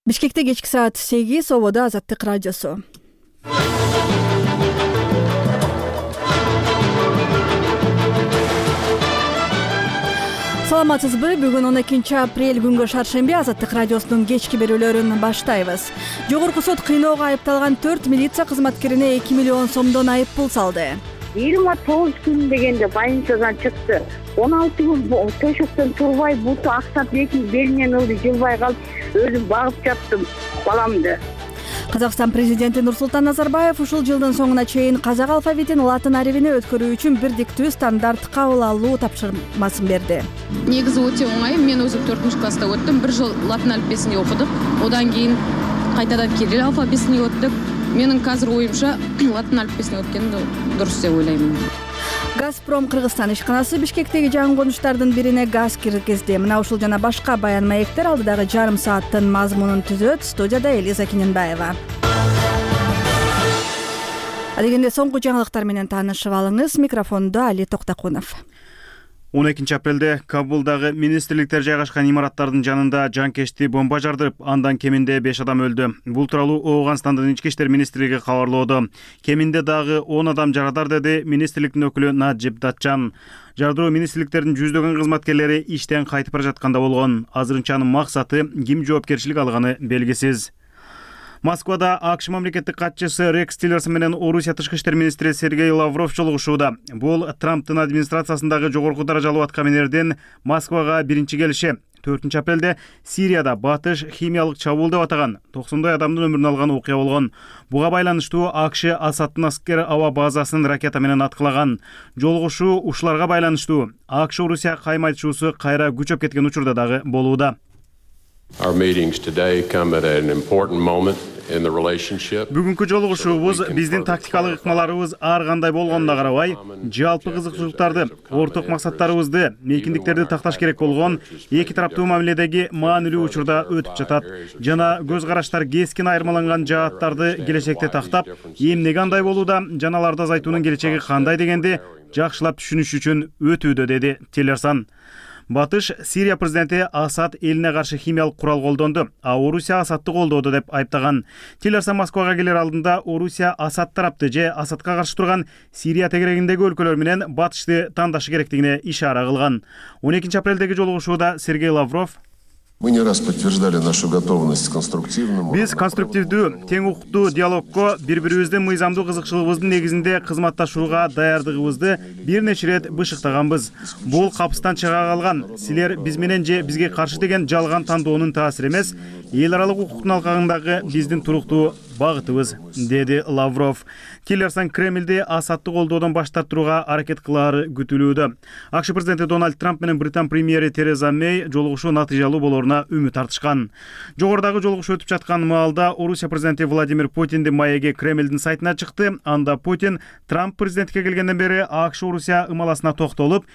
Бишкекте кечки саат 8, ободо Азаттык радиосу. Саламатсызбы? Бүгүн 12 апрель күнгө шаршемби Азаттык радиосунун кечки берүүлөрүн баштайбыз. Жогорку сот кыйноого айыпталган 4 милиция кызматкерине 2 миллион сомдон айып пул салды. 29 күн дегенде больницадан чыкты. 16 күн төшөктөн турбай, буту аксап, белинен ылды, жылбай калып, өзүм багып жаттым баламды. Казакстан президенти Нурсултан Назарбаев ушул жылдын соңуна чейин казак алфавитин латын арабине өткөрүү үчүн бирдиктүү стандарт кабыл алуу тапшырмасын берди. Негизи өтө оңай. Мен өзүм 4-класста өттүм. Бир жыл латын алфавитин окудук. Одан кийин кайтадан кирилл алфавитин өттүк. Менин азыр оюмча латын алфавитин өткөн дурус деп ойлойм. Газпром Кыргызстан ишканасы Бишкектеги жаңы конуштардын бирине газ киргизди. Мына ушул жана башка баян маектер алдыдагы жарым сааттын мазмунун түзөт. Студияда Элиза Киненбаева. Адегенде соңку жаңылыктар менен таанышып алыңыз. Микрофондо Али Токтакунов. 12 апрелде Кабулдагы министрликтер жайгашкан имараттардын жанында жанкечти бомба жардырып, андан кеминде 5 адам өлдү. Бул тууралуу Ооганстандын ички иштер министрлиги кабарлоодо. Кеминде дагы 10 адам жарадар, деди министрликтин өкүлү Наджиб Датчан. Жардыруу министрликтердин жүздөгөн кызматкерлери иштен кайтып бара жатканда болгон. Азырынча анын максаты ким жоопкерчилик алганы белгисиз. Москвада АКШ мамлекеттик катчысы Рекс Тиллерсон менен Орусия тышкы иштер министри Сергей Лавров жолугушууда. Бул Трамптын администрациясындагы жогорку даражалуу аткаминердин Москвага биринчи келиши. 4 апрелде Сирияда батыш химиялык чабуул деп атаган 90 адамдын өмүрүн алган окуя болгон. Буга байланыштуу АКШ Асадтын аскер аба базасын ракета менен аткылаган. Жолугушуу ушуларга байланыштуу. АКШ Орусия кайма айтышуусу кайра күчөп кеткен учурда дагы болууда. Бүгүнкү жолугушуубуз биздин тактикалык ыкмаларыбыз ар кандай болгонуна карабай, жалпы кызыкчылыктарды, орток максаттарыбызды, мейкиндиктерди такташ керек болгон эки тараптуу мамиледеги маанилүү учурда өтүп жатат жана көз караштар кескин айырмаланган жааттарды келечекте тактап, эмне кандай болууда жана аларды азайтуунун келечеги кандай дегенди жакшылап түшүнүш үчүн өтүүдө, деди Тиллерсон. Батыш Сирия президенти Асад элине каршы химиялык курал колдонду, а Орусия Асадты колдоду деп айыптаган. Тиллерсон Москвага келер алдында Орусия Асад тарапты же Асадка каршы турган Сирия тегерегиндеги өлкөлөр менен батышты тандашы керектигине ишара кылган. 12 апрелдеги жолугушууда Сергей Лавров: Мы не раз подтверждали нашу готовность к конструктивному. Биз конструктивдүү, тең укуктуу диалогко, бири-бирибиздин мыйзамдуу кызыкчылыгыбыздын негизинде кызматташууга даярдыгыбызды бир нече ирет бышыктаганбыз. Бул капыстан чыга калган, силер биз менен же бизге каршы деген жалган тандоонун таасири эмес, эл аралык укуктун алкагындагы биздин туруктуу багытыбыз, деди Лавров. Тиллерсон Кремльди Асадты колдоодон баш тартууга аракет кылаары күтүлүүдө. АКШ президенти Дональд Трамп менен Британ премьери Тереза Мэй жолугушуу натыйжалуу болооруна үмүт артышкан. Жогорудагы жолугушуу өтүп жаткан маалда Орусия президенти Владимир Путиндин маеги Кремльдин сайтына чыкты. Анда Путин Трамп президенттикке келгенден бери АКШ Орусия ымаласына токтолуп,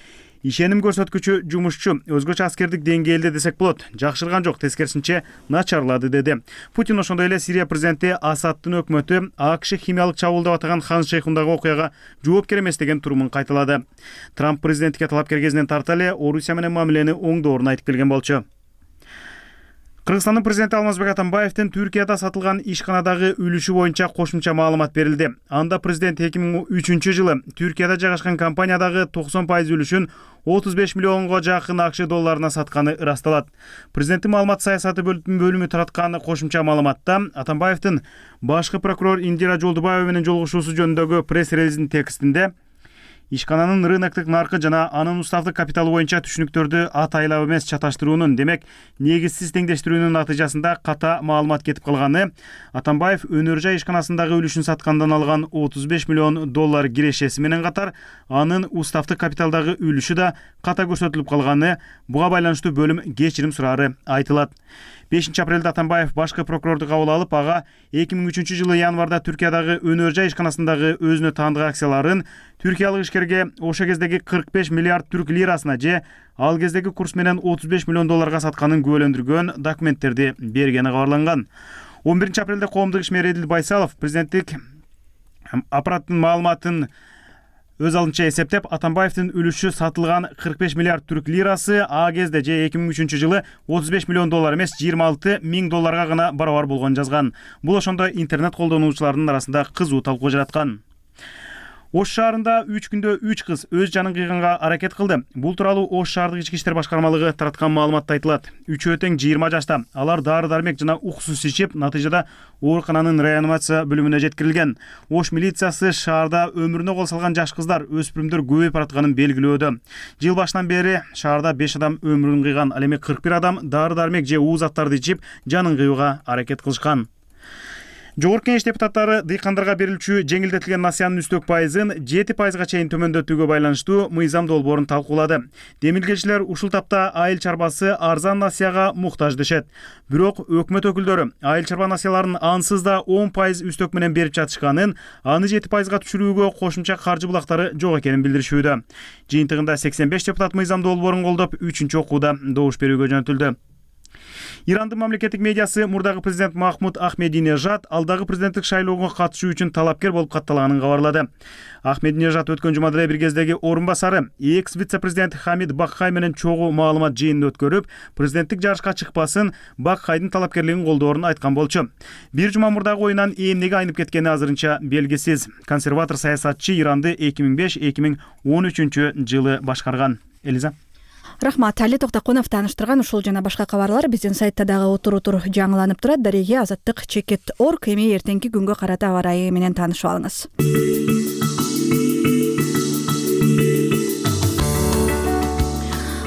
ишеним көрсөткүчү жумушчу, өзгөчө аскердик деңгээлде десек болот, жакшырган жок, тескерисинче начарлады, деди. Путин ошондой эле Сирия президенти Асадтын өкмөтү АКШ химиялык чабуул деп атаган Хан Шейхундагы окуяга жоопкер эмес деген турумун кайталады. Трамп президенттикке талапкер кезинен тарта эле Орусия менен мамилени оңдоорун айтып келген болчу. Кыргызстандын президенти Алмазбек Атамбаевдин Түркияда сатылган ишканадагы үлүшү боюнча кошумча маалымат берилди. Анда президент 2003 жылы Түркияда жайгашкан компаниядагы 90% үлүшүн 35 миллионго жакын АКШ долларына сатканы ырасталат. Президенттин маалымат саясаты бөлүмү тараткан кошумча маалыматта Атамбаевдин башкы прокурор Индира Жолдубаева менен жолугушуусу жөнүндөгү пресс-релиздин текстинде ишкананын рыноктук наркы жана анын уставдык капиталы боюнча түшүнүктөрдү атайлап эмес чаташтыруунун, демек негизсиз теңдештирүүнүн натыйжасында ката маалымат кетип калганы, Атамбаев өнөр жай ишканасындагы үлүшүн саткандан алган 35 миллион доллар кирешеси менен катар анын уставдык капиталдагы үлүшү да ката көрсөтүлүп калганы, буга байланыштуу бөлүм кечирим сураары айтылат. 5 апрелде Атамбаев башкы прокурорду кабыл алып, ага 2003 жылы январда Түркиядагы өнөр жай ишканасындагы өзүнө таандык акцияларын түркиялык ишкерге ошо кездеги 45 миллиард түрк лирасына же ал кездеги курс менен 35 миллион долларга сатканын күбөлөндүргөн документтерди бергени кабарланган. 11 апрелде коомдук ишмер Эдил Байсалов президенттик аппараттын маалыматын Өз алынча эсептеп, Атамбаевдин үлүшү сатылган 45 миллиард түрк лирасы а кезде же 2003 жылы 35 миллион доллар эмес 26 миң долларга гана барабар болгонун жазган. Бул ошондо интернет колдонуучулардын арасында кызуу талкуу жараткан. Ош шаарында 3 күндө 3 кыз өз жанын кыйганга аракет кылды. Бул тууралуу Ош шаардык ички иштер башкармалыгы тараткан маалыматта айтылат. Үчөө тең 20 жашта. Алар дары-дармек жана уксус ичип, натыйжада оорукананын реанимация бөлүмүнө жеткирилген. Ош милициясы шаарда өмүрүнө кол салган жаш кыздар, өспүрүмдөр көбөйүп баратканын белгилөөдө. Жыл башынан бери шаарда 5 адам өмүрүн кыйган, ал эми 41 адам дары-дармек же уу заттарды ичип, жанын кыюуга аракет кылышкан. Жогорку Кеңеш депутаттары дыйкандарга берилчү жеңилдетилген насыянын үстөк пайызын 7% чейин төмөндөтүүгө байланыштуу мыйзам долбоорун талкуулады. Демилгечилер ушул тапта айыл чарбасы арзан насыяга муктаж дешет. Бирок өкмөт өкүлдөрү айыл чарба насыяларын ансыз да 10% үстөк менен берип жатышканын, аны 7%га түшүрүүгө кошумча каржы булактары жок экенин билдиришүүдө. Жыйынтыгында 85 депутат мыйзам долбоорун колдоп, 3-окууда добуш берүүгө жөнөтүлдү. Ирандын мамлекеттик медиасы мурдагы президент Махмуд Ахмединежад алдагы президенттик шайлоого катышуу үчүн талапкер болуп катталганын кабарлады. Ахмединежад өткөн жумада эле бир кездеги орун басары экс-вице-президент Хамид Бакхай менен чогуу маалымат жыйынын өткөрүп, президенттик жарышка чыкпасын, Бакхайдын талапкерлигин колдоорун айткан болчу. Бир жума мурдагы оюнан эмнеге айнып кеткени азырынча белгисиз. Консерватор саясатчы Иранды 2005-2013 жылы башкарган. Элиза. Рахмат, Али Токтокунов тааныштырган ушул жана башка кабарлар биздин сайтта дагы отур жаңыланып турат. Дареге Азаттык Чекет.org эми эртеңки күнгө карата аба ырайы менен таанышып алыңыз.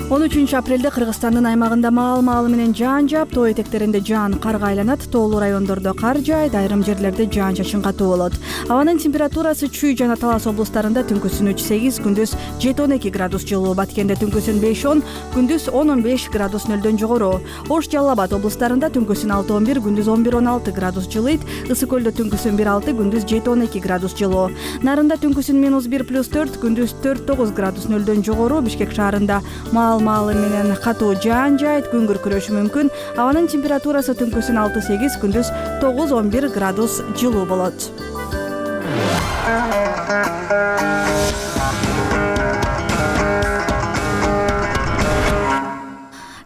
13 апрелде Кыргызстандын аймагында маал-маалы менен жаан жаап, тоо этектеринде жаан карга айланат, тоолуу райондордо кар жаайт, айрым жерлерде жаан-чачын катуу болот. Абанын температурасы Чүй жана Талас облустарында түнкүсүн 3-8, күндүз 7-12 градус жылуу, Баткенде түнкүсүн 5-10, күндүз 10-15 градус нөлдөн жогору. Ош, Жалал Абад облустарында түнкүсүн 6-11, күндүз 11-16 градус жылыйт, Ысык Көлдө түнкүсүн 1-6, күндүз 7-12 градус жылуу. Нарында түнкүсүн -1+4, күндүз 4-9 градус нөлдөн жогору. Бишкек шаарында маалы менен катуу жаан жаайт, күн күркүрөшү мүмкүн. Абанын температурасы түнкүсүн 6-8, күндүз 9-11 градус жылуу болот.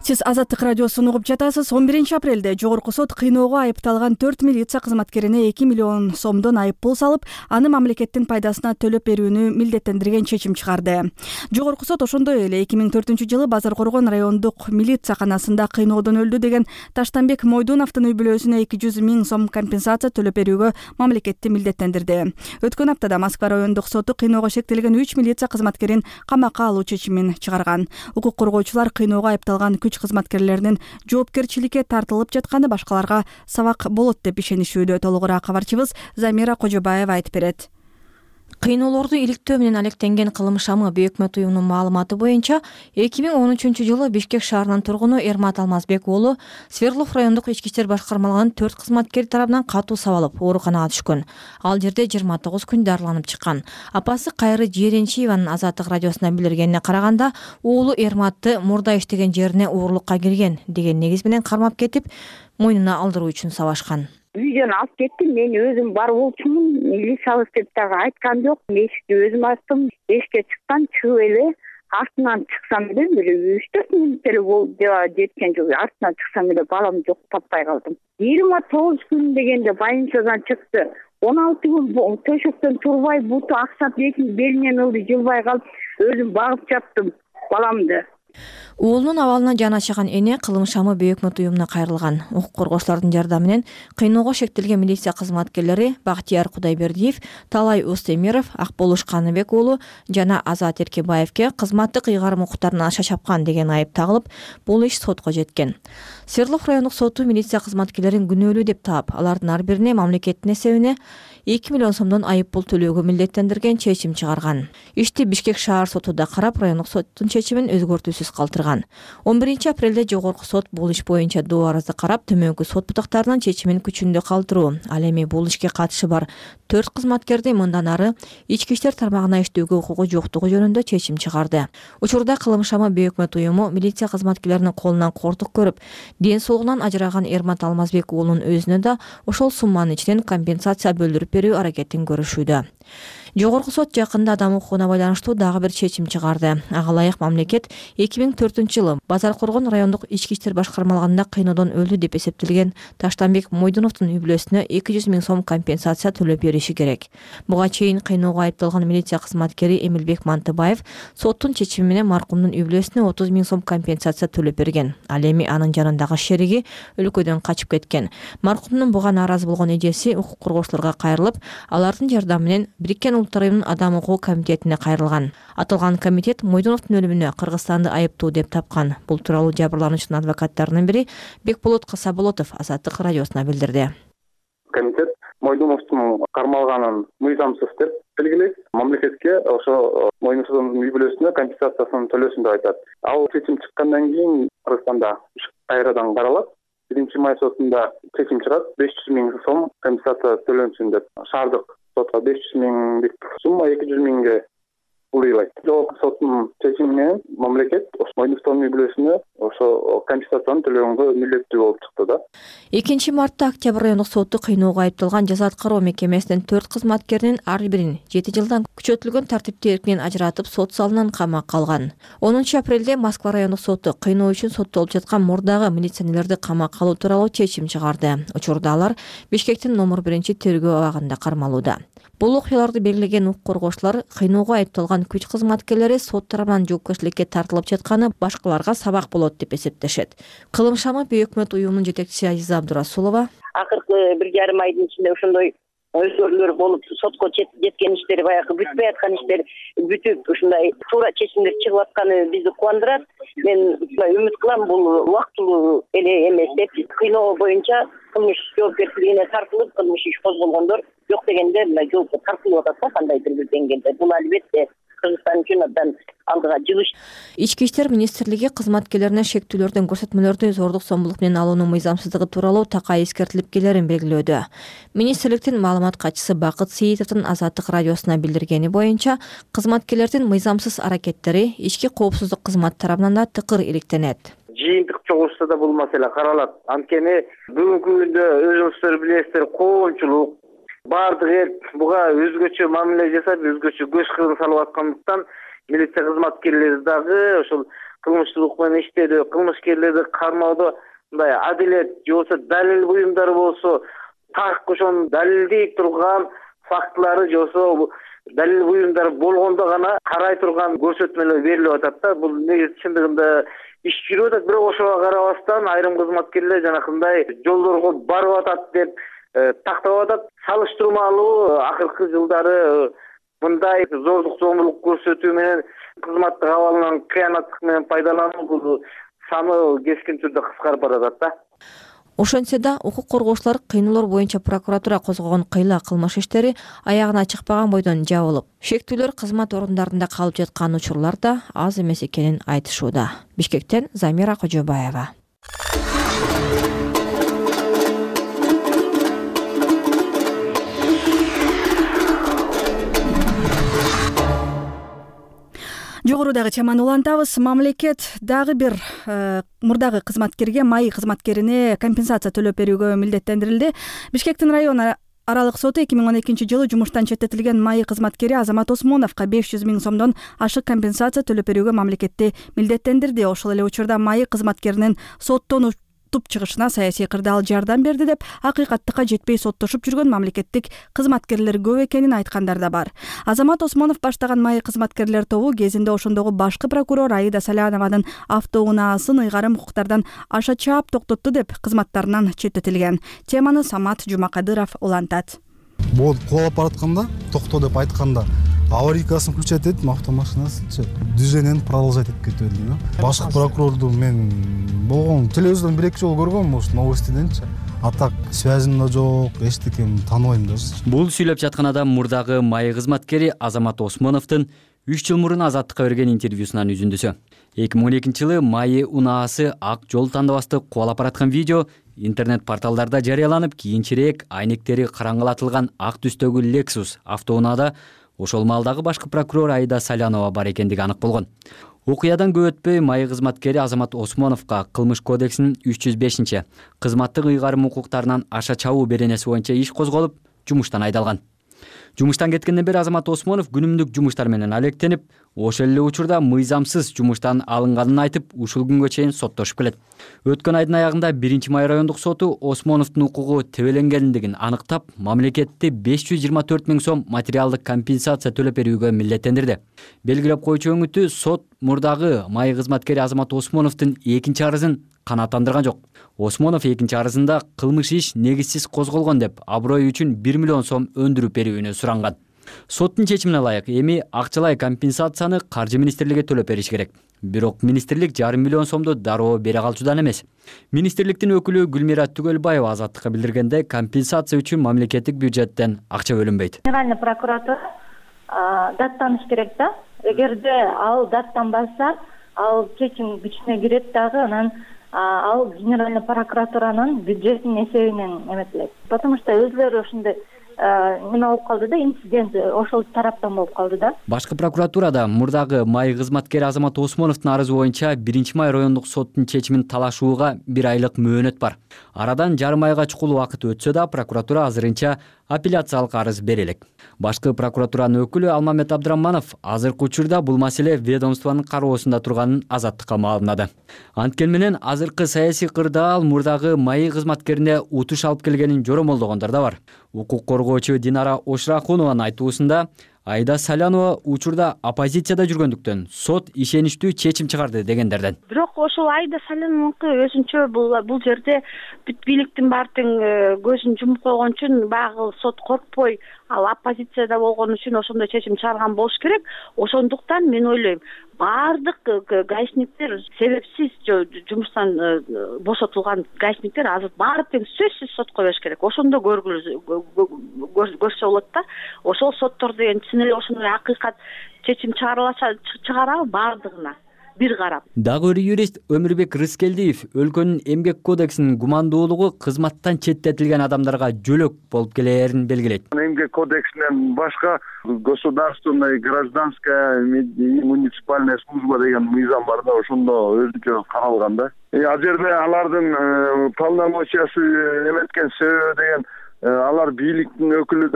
Сиз Азаттык радиосун угуп жатасыз. 11 апрелде Жогорку сот кыйноого айыпталган 4 милиция кызматкерине 2 миллион сомдон айыппул салып, аны мамлекеттин пайдасына төлөп берүүнү милдеттендирген чечим чыгарды. Жогорку сот ошондой эле 2004-жылы Базар Коргон райондук милицияканасында кыйноодон өлдү деген Таштанбек Мойдуновдун үй бүлөсүнө 200 000 сом компенсация төлөп берүүгө мамлекетти милдеттендирди. Өткөн аптада Москва райондук соту кыйноого шектелген 3 милиция кызматкерин камакка алуу чечимин чыгарган. Укук коргоочулар кыйноого айыпталган күч кызматкерлеринин жоопкерчиликке тартылып жатканы башкаларга сабак болот деп ишенишүүдө. Толугураак кабарчыбыз Замира Кожобаева айтып берет. Кыйноолорду иликтөө менен алектенген кылым шамы Бейөкмөт уюмунун маалыматы боюнча 2013-жылы Бишкек шаарынын тургуну Эрмат Алмазбек уулу Свердлов райондук ички иштер башкармалыгынын 4 кызматкери тарабынан катуу сабалып ооруканага түшкөн. Ал жерде 29 күн дарыланып чыккан. Апасы Кайры Жеренчиеванын Азаттык радиосуна билдиргенине караганда, уулу Эрматты мурда иштеген жерине уурулукка кирген деген негиз менен кармап кетип, мойнуна алдыруу үчүн сабашкан. Үйдөн алып кеттим, мен өзүм бар болчумун, милициябыз деп дагы айткан жок. Эшикти өзүм ачтым, эшикке чыккан, чыгып эле артынан чыксам эле бир 3-4 мүнөт эле болду жеткен жок. Артынан чыксам эле балам жок, таппай калдым. 29 күн дегенде больницадан чыкты. 16 күн төшөктөн турбай, буту аксап, белинен ылды, жылбай калып, өзүм багып жаттым баламды. Уулунун абалына жаны ачыган эне кылым шамы Бейөкмөт уюмуна кайрылган. Укук коргоочулардын жардамы менен кыйноого шектелген милиция кызматкерлери Бактияр Кудайбердиев, Талай Устемиров, Акболуш Каныбек уулу жана Азат Эркебаевке кызматтык ыйгарым укуктарынан аша чапкан деген айып тагылып, бул иш сотко жеткен. Свердлов райондук соту милиция кызматкерлерин күнөөлүү деп таап, алардын ар бирине мамлекеттин эсебине 2 миллион сомдон айыппул төлөөгө милдеттендирген чечим чыгарган. Ишти Бишкек шаар соту да карап, райондук соттун чечимин өзгөртүүсүз калтырган. 11 апрелде Жогорку сот бул иш боюнча доо арызды карап, төмөнкү сот бутактарынын чечимин күчүндө калтыруу. Ал эми бул ишке катышы бар 4 кызматкерди мындан ары ички иштер тармагына иштөөгө укугу жоктугу жөнүндө чечим чыгарды. Учурда кылым шамы Бейөкмөт уюму милиция кызматкерлеринин колунан кортук көрүп, ден соолугунан ажыраган Эрмат Алмазбек уулунун өзүнө да ошол сумманын ичинен компенсация бөлдүрүп берүү аракетин көрүшүүдө. Жогорку сот жакында адам укугуна байланыштуу дагы бир чечим чыгарды. Ага ылайык мамлекет 2004-жылы Базаркоргон райондук ички иштер башкармалыгында кыйноодон өлдү деп эсептелген Таштанбек Мойдуновдун үй бүлөсүнө 200 000 сом компенсация төлөп бериши керек. Буга чейин кыйноого айыпталган милиция кызматкери Эмилбек Мантыбаев соттун чечими менен маркумдун үй бүлөсүнө 30 000 сом компенсация төлөп берген. Ал эми анын жанындагы шериги өлкөдөн качып кеткен. Маркумдун буга нааразы болгон эжеси укук коргоочуларга кайрылып, алардын жардамы менен Бириккен Улуттар уюмунун Адам укугу комитетине кайрылган. Аталган комитет Мойдуновдун өлүмүнө Кыргызстанды айыптуу деп тапкан. Бул тууралуу жабырлануучунун адвокаттарынын бири Бекболот Касаболотов Азаттык радиосуна билдирди. Комитет Мойдуновдун кармалганын мыйзамсыз деп белгилейт. Мамлекетке ошо Мойдуновдун үй бүлөсүнө компенсациясын төлөсүн деп айтат. Ал чечим чыккандан кийин Кыргызстанда кайрадан каралат. 1-май сотунда чечим чыгат. 500 000 сом компенсация төлөнсүн деп. Шаардык сотко 500 000 сумма 200 000 улайлайт. Жогорку соттун чечими менен мамлекет Мойдуновдун үй бүлөсүнө ошо компенсацияны төлөгөнгө милдеттүү болуп чыкты да. 2-мартта Октябрь райондук соту кыйноого айыпталган жаза аткаруу мекемесинин 4 кызматкеринин ар бирин 7 жылдан күчөтүлгөн тартипте эркинен ажыратып сот залынан камакка алган. 10-апрелде Москва райондук соту кыйноо үчүн соттолуп жаткан мурдагы милиционерлерди камакка алуу тууралуу чечим чыгарды. Учурда алар Бишкектин номер 1-тергөө абагында кармалууда. Бул окуяларды белгилеген укук коргоочулар кыйноого айыпталган күч кызматкерлери сот тарабынан жоопкерчиликке тартылып жатканы башкаларга сабак болот деп эсептешет. Кылым шамы Бейөкмөт уюмунун жетекчиси Азиза Абдурасулова: Акыркы 1,5 айдын ичинде ошондой өзгөрүүлөр болуп, сотко жеткен иштер, баягы бүтпөй аткан иштер бүтүп, ушундай туура чечимдер чыгып атканы бизди кубандырат. Мен үмүт кылам, бул убактылуу эле эмес деп. Кыйноо боюнча кылмыш жоопкерчилигине тартылып, кылмыш иш козголгондор жок дегенде мына жоопко тартылып атат да, кандайдыр бир деңгээлде. Бул албетте Кыргызстан үчүн абдан алдыга жылыш. Ички иштер министрлиги кызматкерлерине шектүүлөрдөн көрсөтмөлөрдү зордук зомбулук менен алуунун мыйзамсыздыгы тууралуу такай эскертилип келерин белгилөөдө. Министрликтин маалымат катчысы Бакыт Сейитовдун Азаттык радиосуна билдиргени боюнча, кызматкерлердин мыйзамсыз аракеттери ички коопсуздук кызмат тарабынан да тыкыр иликтенет. Жыйынтык чогулушта да бул маселе каралат. Анткени бүгүнкү күндө өзүңүздөр билесиздер, коомчулук баардык эл буга өзгөчө мамиле жасап, өзгөчө көз кырын салып аткандыктан милиция кызматкерлери дагы ошол кылмыштуулук менен иштөөдө, кылмышкерлерди кармоодо мындай адилет же болбосо далил буюмдары болсо, так ошону далилдей турган фактылары же болбосо далил буюмдары болгондо гана карай турган көрсөтмөлөр берилип атат да. Бул негизи чындыгында иш жүрүп атат, бирок ошого карабастан айрым кызматкерлер жанакындай жолдорго барып атат деп тактап атат. Салыштырмалуу акыркы жылдары мындай зордук зомбулук көрсөтүү менен кызматтык абалынан кыянаттык менен пайдалануу бул саны кескин түрдө кыскарып баратат да. Ошентсе да укук коргоочулар кыйноолор боюнча прокуратура козгогон кыйла кылмыш иштери аягына чыкпаган бойдон жабылып, шектүүлөр кызмат орундарында калып жаткан учурлар да аз эмес экенин айтышууда. Бишкектен Замира Кожобаева. Жогорудагы чаманы улантабыз. Мамлекет дагы бир мурдагы кызматкерге, майы кызматкерине компенсация төлөп берүүгө милдеттендирилди. Бишкектин район аралык соту 2012-жылы жумуштан четтетилген майы кызматкери Азамат Осмоновго 500 000 сомдон ашык компенсация төлөп берүүгө мамлекетти милдеттендирди. Ошол эле учурда майы кызматкеринин соттон туп чыгышына саясий кырдаал жардам берди деп акыйкаттыкка жетпей соттошуп жүргөн мамлекеттик кызматкерлер көп экенин айткандар да бар. Азамат Осмонов баштаган майы кызматкерлер тобу кезинде ошондогу башкы прокурор Аида Салянованын автоунаасын ыйгарым укуктардан аша чаап токтотту деп кызматтарынан четтетилген. Теманы Самат Жумакадыров улантат. Бул кубалап баратканда, токто деп айтканда, аварийкасын включать этип, автомашинасы движениени продолжать этип кетип элдим. Башкы прокурорду мен болгон телевизордон 1-2 жолу көргөм, ошо новостиденчи. А так связим да жок, эчтекем тааныбайм даже. Бул сүйлөп жаткан адам мурдагы майы кызматкери Азамат Осмоновдун 3 жыл мурун Азаттыкка берген интервьюсунан үзүндүсү. 2012-жылы майы унаасы ак жол тандабасты кубалап бараткан видео интернет порталдарда жарыяланып, кийинчерээк айнектери караңгылатылган ак түстөгү Lexus автоунаада ошол маалдагы башкы прокурор Аида Салянова бар экендиги анык болгон. Окуядан көп өтпөй майы кызматкери Азамат Осмоновго Кылмыш кодексинин 305 кызматтык ыйгарым укуктарынан аша чабуу беренеси боюнча иш козголуп, жумуштан айдалган. Жумуштан кеткенден бери Азамат Осмонов күнүмдүк жумуштар менен алектенип, ошол эле учурда мыйзамсыз жумуштан алынганын айтып, ушул күнгө чейин соттошуп келет. Өткөн айдын аягында 1-Май райондук соту Осмоновдун укугу тебеленгендигин аныктап, мамлекетти 524 000 сом материалдык компенсация төлөп берүүгө милдеттендирди. Белгилеп коюучу өңүтү сот мурдагы май кызматкери Азамат Осмоновдун экинчи арызын канааттандырган жок. Осмонов экинчи арызында кылмыш иш негизсиз козголгон деп, аброй үчүн 1 миллион сом өндүрүп берүүнү суранган. Соттун чечимине ылайык эми акчалай компенсацияны Каржы министрлиги төлөп бериш керек. Бирок министрлик 1,5 миллион сомду дароо бере калчудан эмес. Министрликтин өкүлү Гүлмира Түгөлбаева Азаттыкка билдиргенде, компенсация үчүн мамлекеттик бюджеттен акча бөлүнбөйт. Генеральный прокуратура даттаныш керек да. Эгерде ал даттанбаса, ал чечим күчүнө кирет дагы, анан ал Генеральный прокуратуранын бюджетинин эсебинен эметилет. Потому что өзлөрү ошондой неме болуп калды да, инцидент ошол тараптан болуп калды да. Башкы прокуратурада мурдагы май кызматкери Азамат Осмоновдун арызы боюнча 1-Май райондук соттун чечимин талашууга 1 айлык мөөнөт бар. Арадан жарым айга чукул убакыт өтсө да, прокуратура азырынча апелляциялык арыз бере элек. Башкы прокуратуранын өкүлү Алмамет Абдыраманов азыркы учурда бул маселе ведомствонун кароосунда турганын Азаттыкка маалымдады. Анткени менен азыркы саясий кырдаал мурдагы май кызматкерине утуш алып келгенин жоромолдогондор да бар. Укук коргоочу Динара Ошрахунованын айтуусунда, Айда Салянова учурда оппозицияда жүргөндүктөн сот ишеничтүү чечим чыгарды дегендерден. Бирок ошол Айда Саляновнуку өзүнчө бул жерде бүт бийликтин баардыгын көзүн жумуп койгон үчүн баягы сот коркпой, ал оппозицияда болгон үчүн ошондой чечим чыгарган болуш керек. Ошондуктан мен ойлойм, баардык гаишниктер, себепсиз жумуштан бошотулган гаишниктер азыр баары тең сөзсүз сотко бериш керек. Ошондо көрсө болот да. Ошол соттор деген чын эле ошондой акыйкат чечим чыгарабы баардыгына бир карап. Дагы бир юрист Өмүрбек Рыскелдиев өлкөнүн эмгек кодексинин гумандуулугу кызматтан четтетилген адамдарга жөлөк болуп келээрин белгилейт. Эмгек кодексинен башка государственная, гражданская и муниципальная служба деген мыйзам бар да, ошондо өзүнчө каралган да. Ал жерде алардын полномочиясы эметкен себеби деген алар бийликтин өкүлү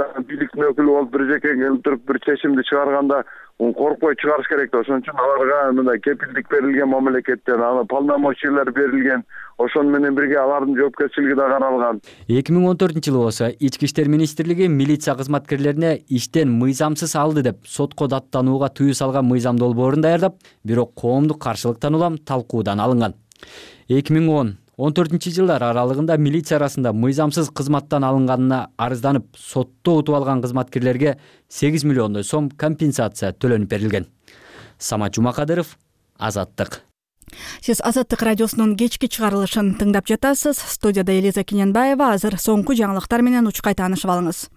болуп бир жеке келип туруп бир чечимди чыгарганда коркпой чыгарыш керек да. Ошон үчүн аларга мындай кепилдик берилген мамлекеттен, аны полномочиялар берилген. Ошон менен бирге алардын жоопкерчилиги да каралган. 2014-жылы болсо Ички иштер министрлиги милиция кызматкерлерине иштен мыйзамсыз алды деп сотко даттанууга тыюу салган мыйзам долбоорун даярдап, бирок коомдук каршылыктан улам талкуудан алынган. 2010-14 аралыгында милиция арасында мыйзамсыз кызматтан алынганына арызданып, сотто утуп алган кызматкерлерге 8 миллиондой сом компенсация төлөнүп берилген. Самат Жумакадыров, Азаттык. Сиз Азаттык радиосунун кечки чыгарылышын тыңдап жатасыз. Студияда Элиза Кененбаева. Азыр соңку жаңылыктар менен учкай таанышып алыңыз.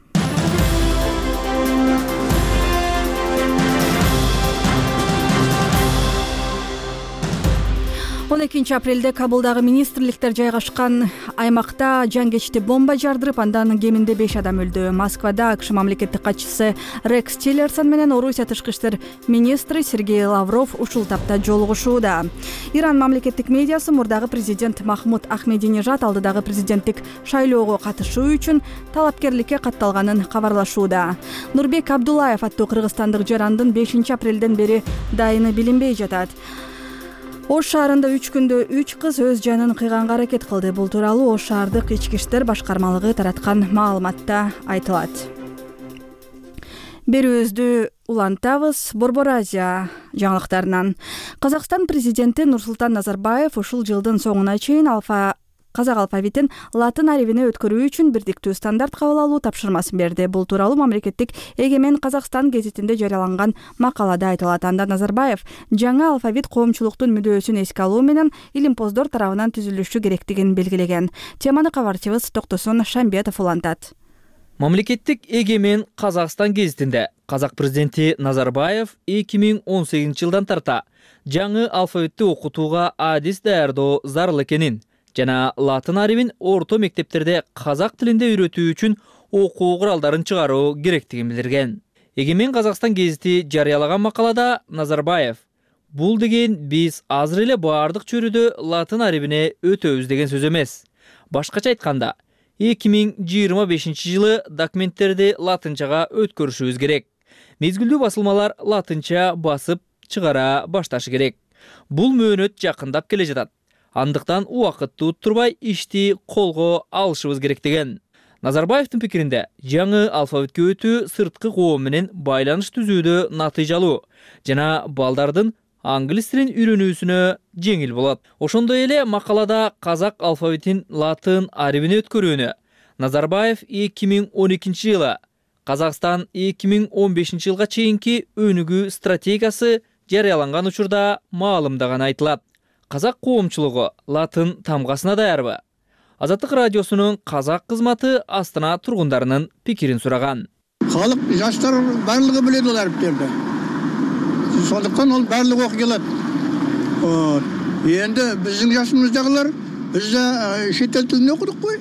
12 апрелде Кабулдагы министрликтер жайгашкан аймакта жангечти бомба жардырып, андан кеминде 5 адам өлдү. Москвада АКШ мамлекеттик катчысы Рекс Тиллерсон менен Орусия тышкы иштер министри Сергей Лавров ушул тапта жолугушууда. Иран мамлекеттик медиасы мурдагы президент Махмуд Ахмединежад алдыдагы президенттик шайлоого катышуу үчүн талапкерликке катталганын кабарлашууда. Нурбек Абдуллаев аттуу кыргызстандык жарандын 5 апрелден бери дайыны билинбей жатат. Ош шаарында 3 күндө 3 кыз өз жанын кыйганга аракет кылды. Бул тууралуу Ош шаардык ички иштер башкармалыгы тараткан маалыматта айтылат. Берүүбүздү улантабыз. Борбор Азия жаңылыктарынан. Казакстан президенти Нурсултан Назарбаев ушул жылдын соңуна чейин казак алфавитин латын арибине өткөрүү үчүн бирдиктүү стандарт кабыл алуу тапшырмасын берди. Бул тууралуу мамлекеттик Эгемен Казакстан гезитинде жарыяланган макалада айтылат. Анда Назарбаев жаңы алфавит коомчулуктун мүдөөсүн эске алуу менен илимпоздор тарабынан түзүлүшү керектигин белгилеген. Теманы кабарчыбыз Токтосун Шамбетов улантат. Мамлекеттик Эгемен Казакстан гезитинде казак президенти Назарбаев 2018 жылдан тарта жаңы алфавитти окутууга адис даярдоо зарыл экенин жана латын арибин орто мектептерде казак тилинде үйрөтүү үчүн окуу куралдарын чыгаруу керектигин билдирген. Эгемен Казакстан гезити жарыялаган макалада Назарбаев бул деген биз азыр эле баардык чөйрөдө латын арибине өтөбүз деген сөз эмес. Башкача айтканда, 2025-жылы документтерди латынчага өткөрүшүбүз керек. Мезгилдүү басылмалар латынча басып чыгара башташы керек. Бул мөөнөт жакындап келе жатат. Андыктан убакытты уттурбай ишти колго алышыбыз керек деген. Назарбаевдин пикиринде жаңы алфавитке өтүү сырткы коом менен байланыш түзүүдө натыйжалуу жана балдардын англис тилин үйрөнүүсүнө жеңил болот. Ошондой эле макалада казак алфавитин латын арибине өткөрүүнү Назарбаев 2012-жылы Казакстан 2015-жылга чейинки өнүгүү стратегиясы жарыяланган учурда маалымдаганы айтылат. Казак коомчулугу латын тамгасына даярбы? Азаттык радиосунун казак кызматы Астана тургундарынын пикирин сураган. Халык, жаштар барлыгы билет ол ариптерди. Сондуктан ол барлыгы окуй алат. Энди биздин жашыбыздагылар биз да чет эл тилин окудук кой.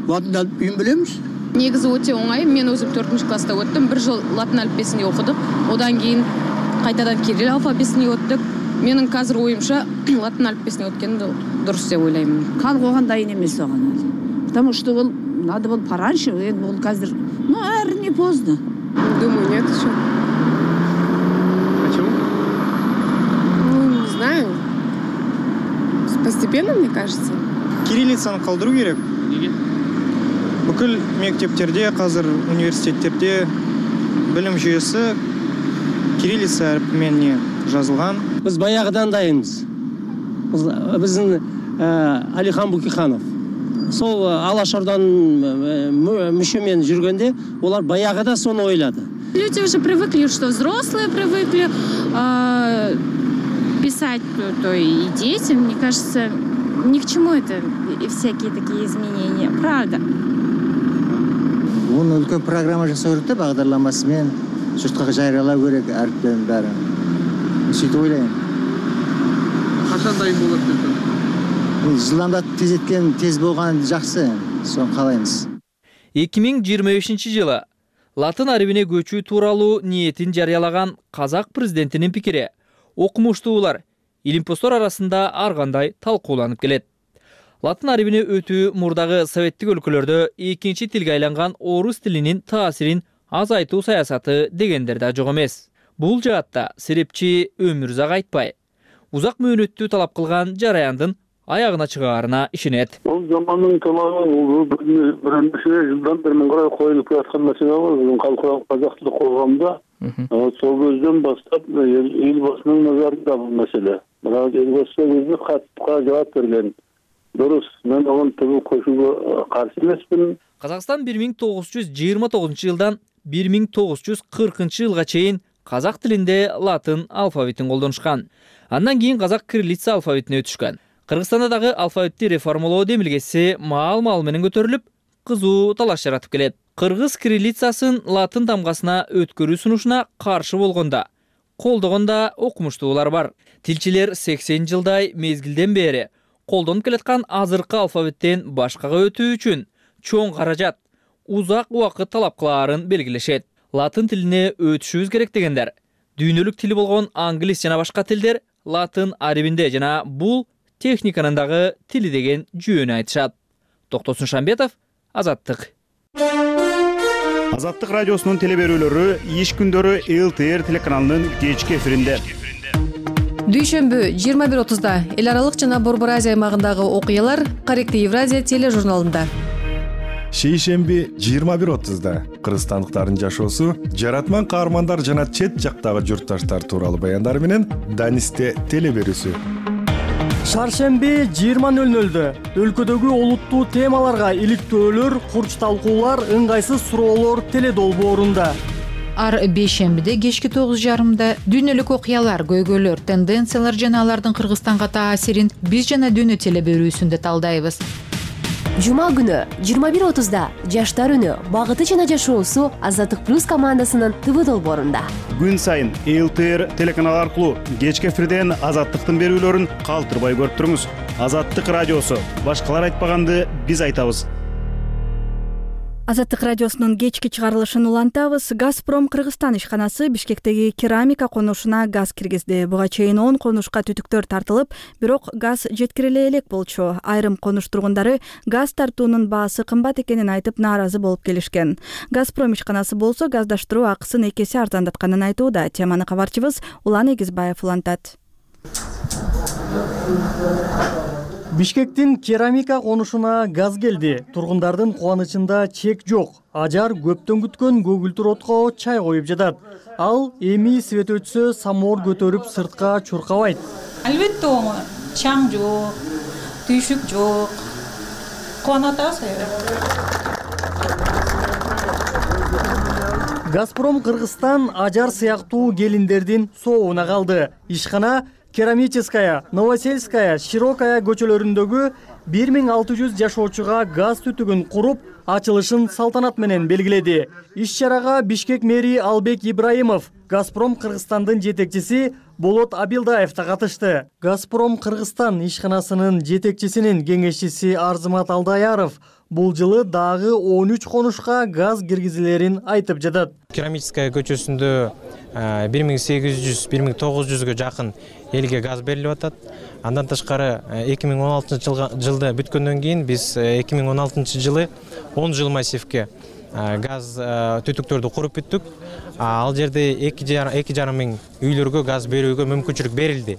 Латын алифбейин билебиз. Негизи өтө оңай. Мен өзүм 4-класста өттүм. 1 жыл латын алифбесин окудук. Одан кийин кайтадан кирилл алфавитин өттүк. Менин азыр оюмча латын алифбесин өткөн дурус деп ойлойм. Калк оған дайын эмес оған. Потому что ол надо было пораньше, ол казыр, наверное, не поздно. Думаю, нет еще. Почему? Не знаю. Постепенно, мне кажется. Кириллицаны калдыруу керек. Неге? Бүкүл мектептерде, азыр университеттерде билим жүйөсү кириллица арифименен жазылган. Biz bayağıdan dayımız. Bizim Алихан Букиханов. Сол Алашордан мүшөмен жүргенде, олар баяғыда соны ойлады. Люди уже привыкли, что взрослые привыкли писать, то и дети. Мне кажется, ни к чему это всякие такие изменения. Правда. Оны үлкен программа жасау керек та, бағдарламасымен жұртқа жариялау керек әріптердің бәрін. Сөйтіп ойлаймын. Қашан дайын болады деп? Жылдамдап тез еткен, тез болған жақсы, соны қалаймыз. 2025-жылы латын арибине көчүү тууралуу ниетин жарыялаган казак президентинин пикири окумуштуулар, илимпоздор арасында ар кандай талкууланып келет. Латын арибине өтүү мурдагы советтик өлкөлөрдө экинчи тилге айланган орус тилинин таасирин азайтуу саясаты дегендер да жок эмес. Бул жаатта серепчи Өмүрзак Айтбай узак мөөнөттүү талап кылган жараяндын аягына чыгаарына ишенет. Бул замандын талабы биринчи жылдан бери карай коюлуп жаткан маселе бар. Калкалык казак тили коомунда сол көздөн баштап элбасынын назарында бул маселе. Бирок элбасы өзү катка жооп берген. Дурус, мен оған түбі көшуге қарсы емеспін. Казакстан 1929-жылдан 1940 жылга чейин казак тилинде латын алфавитин колдонушкан. Андан кийин казак кириллица алфавитине өтүшкөн. Кыргызстанда дагы алфавитти реформалоо демилгеси маал-маал менен көтөрүлүп, кызуу талаш жаратып келет. Кыргыз кириллицасын латын тамгасына өткөрүү сунушуна каршы болгондо, колдогондо окумуштуулар бар. Тилчилер 80 жылдай мезгилден бери колдонуп келаткан азыркы алфавиттен башкага өтүү үчүн чоң каражат, узак убакыт талап кылаарын белгилешет. Латын тилине өтүшүбүз керек дегендер дүйнөлүк тили болгон англис жана башка тилдер латын арибинде жана бул техниканын дагы тили деген жүйөнү айтышат. Токтосун Шамбетов, Азаттык. Азаттык радиосунун телеберүүлөрү иш күндөрү ЛТР телеканалынын кечки эфиринде. Дүйшөмбү 21:30-да эл аралык жана Борбор Азия аймагындагы окуялар Корректив Евразия тележурналында. Шейшемби 21:30-да кыргызстандыктардын жашоосу, жаратман каармандар жана чет жактагы журтташтар тууралуу баяндар менен Данисте телеберүүсү. Шаршемби 20:00-дө өлкөдөгү олуттуу темаларга иликтөөлөр, курч талкуулар, ыңгайсыз суроолор теледолбоорунда. Ар бейшембиде кечки 9:30-да дүйнөлүк окуялар, көйгөйлөр, тенденциялар жана алардын Кыргызстанга таасирин биз жана дүйнө телеберүүсүндө талдайбыз. Жума күнү 21:30-да Жаштар үнү, багыты жана жашоосу Азаттык плюс командасынын ТВ долбоорунда. Күн сайын ЛТР телеканал аркылуу кечки эфирден Азаттыктын берүүлөрүн калтырбай көрүп туруңуз. Азаттык радиосу, башкалар айтпаганды биз айтабыз. Азаттык радиосунун кечки чыгарылышын улантабыз. Газпром Кыргызстан ишканасы Бишкектеги керамика конушуна газ киргизди. Буга чейин 10 конушка түтүктөр тартылып, бирок газ жеткириле элек болчу. Айрым конуш тургундары газ тартуунун баасы кымбат экенин айтып нааразы болуп келишкен. Газпром ишканасы болсо газдаштыруу акысын 2 эсе арзандатканын айтууда. Теманы кабарчыбыз Улан Эгизбаев улантат. Бишкектин керамика конушуна газ келди. Тургундардын кубанычында чек жок. Ажар көптөн күткөн көгүлтүр отко чай коюп жатат. Ал эми свет өтсө самоор көтөрүп сыртка чуркабайт. Албетте оңой. Чаң жок, түйшүк жок. Кубанып атабыз. Газпром Кыргызстан ажар сыяктуу келиндердин сообуна калды. Ишкана Керамическая, Новосельская, Широкая көчөлөрүндөгү 1600 жашоочуга газ түтүгүн куруп, ачылышын салтанат менен белгиледи. Иш-чарага Бишкек мэри Албек Ибраимов, Газпром Кыргызстандын жетекчиси Болот Абилдаев да катышты. Газпром Кыргызстан ишканасынын жетекчисинин кеңешчиси Арзымат Алдаяров бул жылы дагы 13 конушка газ киргизилерин айтып жатат. Керамическая көчөсүндө 1800-1900га жакын элге газ берилип атат. Андан тышкары 2016-жылда бүткөндөн кийин биз 2016-жылы 10 жыл массивке газ түтүктөрдү куруп бүттүк. Ал жерде 2,5 миң үйлөргө газ берүүгө мүмкүнчүлүк берилди.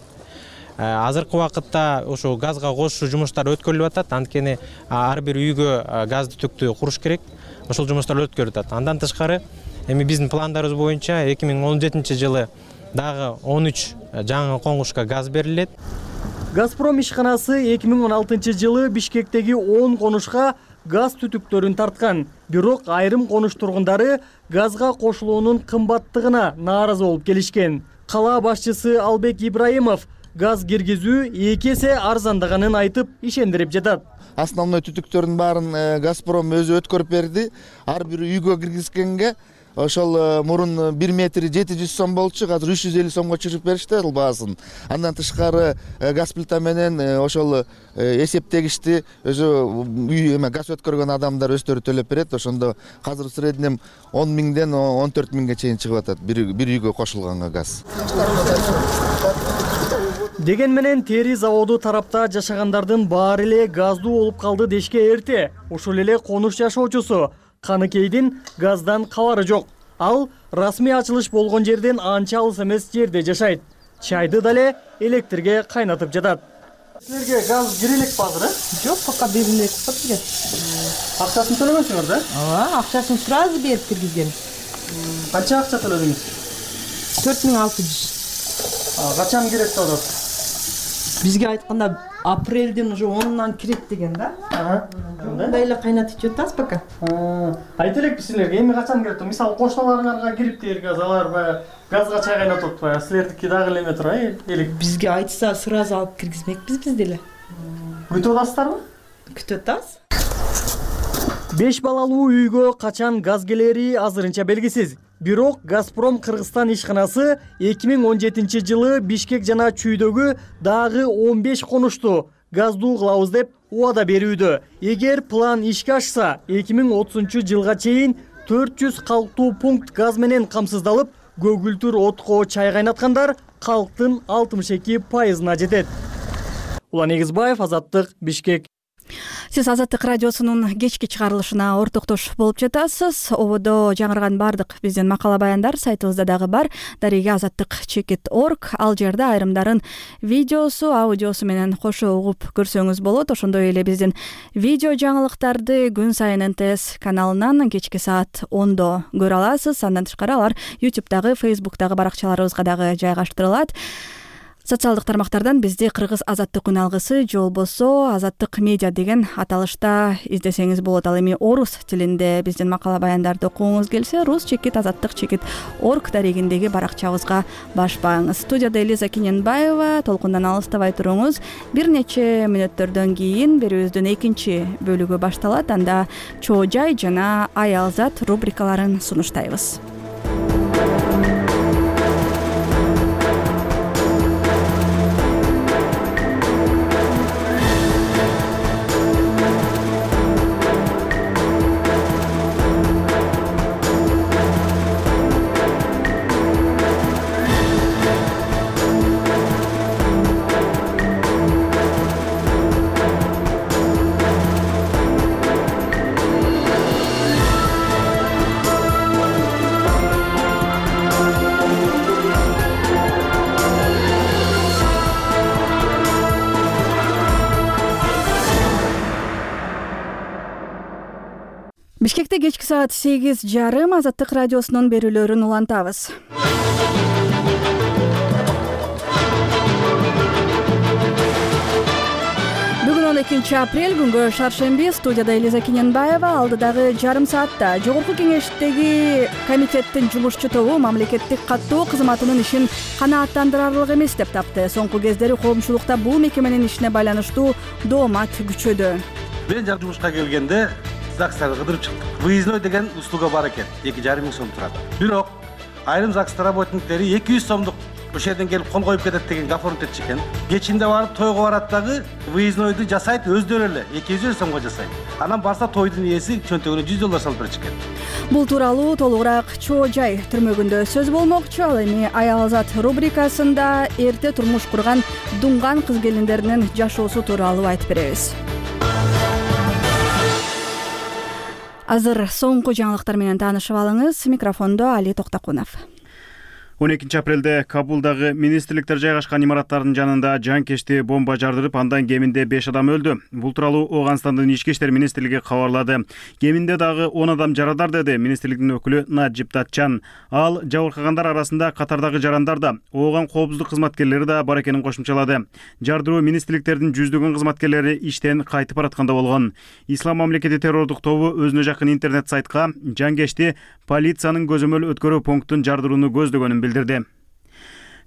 Азыркы убакытта ошо газга кошуу жумуштары өткөрүлүп атат. Анткени ар бир үйгө газ түтүктү куруш керек. Ошол жумуштар өткөрүлүп атат. Андан тышкары эми биздин пландарыбыз боюнча 2017-жылы дагы 13 жаңы коңушка газ берилет. Газпром ишканасы 2016-жылы Бишкектеги 10 конушка газ түтүктөрүн тарткан. Бирок айрым конуш тургундары газга кошулуунун кымбаттыгына нааразы болуп келишкен. Кала башчысы Албек Ибраимов газ киргизүү 2 эсе арзандаганын айтып ишендирип жатат. Основной түтүктөрдүн баарын Газпром өзү өткөрүп берди. Ар бир үйгө киргизгенге ошол мурун 1 метри 700 сом болчу, азыр 350 сомго чыгып беришти ал баасын. Андан тышкары газ плита менен ошол эсептегичти өзү үй газ өткөргөн адамдар өздөрү төлөп берет. Ошондо азыр в среднем 10 миңден 14 миңге чейин чыгып атат бир үйгө кошулганга газ. Деген менен тери заводу тарапта жашагандардын баары эле газдуу болуп калды дешке эрте. Ошол эле конуш жашоочусу Каныкейдин газдан кабары жок. Ал расмий ачылыш болгон жерден анча алыс эмес жерде жашайт. Чайды дале электрге кайнатып жатат. Силерге газ кире элекпи азыр, Жок, пока бериле элек бизге. Акчасын төлөгөнсүңөр да? Ооба, акчасын сразу берип киргизген. Канча акча төлөдүңүз? 4600. Качан керек деп атат? Бизге айтканда апрелдин уже 10-нан кирет деген да. Мындай эле кайнатып жатабыз пока. Айт элекпи силерге эми качан кирип? Мисалы кошуналарыңарга кириптир газ, алар баягы газга чай кайнатып атпайбы? Силердики дагы эле эме тура элек. Бизге айтса сразу алып киргизмекпиз биз деле. Күтүп атасыздарбы? Күтүп атабыз. 5 балалуу үйгө качан газ келери азырынча белгисиз. Бирок Газпром Кыргызстан ишканасы 2017-жылы Бишкек жана Чүйдөгү дагы 15 конушту газдуу кылабыз деп убада берүүдө. Эгер план ишке ашса, 2030-жылга чейин 400 калктуу пункт газ менен камсыздалып, көгүлтүр отко чай кайнаткандар калктын 62%-на жетет. Улан Эгизбаев, Азаттык, Бишкек. Сиз Азаттык радиосунун кечки чыгарылышына ортоктош болуп жатасыз. Ободо жаңырган бардык биздин макала баяндар сайтыбызда дагы бар. Дареге azattik.org. Ал жерде айрымдарын видеосу, аудиосу менен кошо угуп көрсөңүз болот. Ошондой эле биздин видео жаңылыктарды күн сайын НТС каналынан кечки саат 10-до көрө аласыз. Андан тышкары алар YouTube'дагы, Facebook'дагы баракчаларыбызга дагы жайгаштырылат. Социалдык тармактардан бизди Кыргыз Азаттык күн алгысы же болбосо Азаттык медиа деген аталышта издесеңиз болот. Ал эми орус тилинде биздин макала баяндарды окугуңуз келсе, rus-azattik.org дарегиндеги баракчабызга башпаңыз. Студияда Элиза Кененбаева, толкундан алыстабай туруңуз. Бир нече мүнөттөрдөн кийин берүүбүздүн экинчи бөлүгү башталат. Анда чоо жай жана аялзат рубрикаларын сунуштайбыз. Бишкекте кечки саат 8:30 Азаттык радиосунун берүүлөрүн улантабыз. Бүгүн 12 апрель күнгө шаршемби. Студияда Элиза Кененбаева. Алдыдагы жарым саатта Жогорку Кеңештеги комитеттин жумушчу тобу мамлекеттик каттоо кызматынын ишин канааттандырарлык эмес деп тапты. Соңку кездери коомчулукта бул мекеменин ишине байланыштуу доомат күчөдү. Мен жак жумушка келгенде ЗАГСтарды кыдырып чыктык. Выездной деген услуга бар экен. 2,5 миң сом турат. Бирок айрым ЗАГС работниктери 200 сомдук ошол жерден келип кол коюп кетет деген гафорунт этчи экен. Кечинде барып тойго барат дагы выезднойду жасайт өздөрү эле 200 сомго жасайт. Анан барса тойдун ээси чөнтөгүнө $100 салып берчү экен. Бул тууралуу толугураак Чоо Жай түрмөгүндө сөз болмокчу. Ал эми Аял Зат рубрикасында эрте турмуш курган дуңган кыз келиндеринин жашоосу тууралуу айтып беребиз. Азыр соңку жаңылыктар менен таанышып алыңыз. Микрофондо Али Токтакунов. 12 апрелде Кабулдагы министрликтер жайгашкан имараттардын жанында жанкечти бомба жардырып, андан кеминде 5 адам өлдү. Бул тууралуу Ооганстандын ички иштер министрлиги кабарлады. Кеминде дагы 10 адам жарадар деди министрликтин өкүлү Наджип Татчан. Ал жабыркагандар арасында катардагы жарандар да, Ооган коопсуздук кызматкерлери да бар экенин кошумчалады. Жардыруу министрликтердин жүздөгөн кызматкерлери иштен кайтып баратканда болгон. Ислам мамлекети террордук тобу өзүнө жакын интернет сайтка жанкечти полициянын көзөмөл өткөрүү пунктун жардырууну көздөгөнүн билдирди.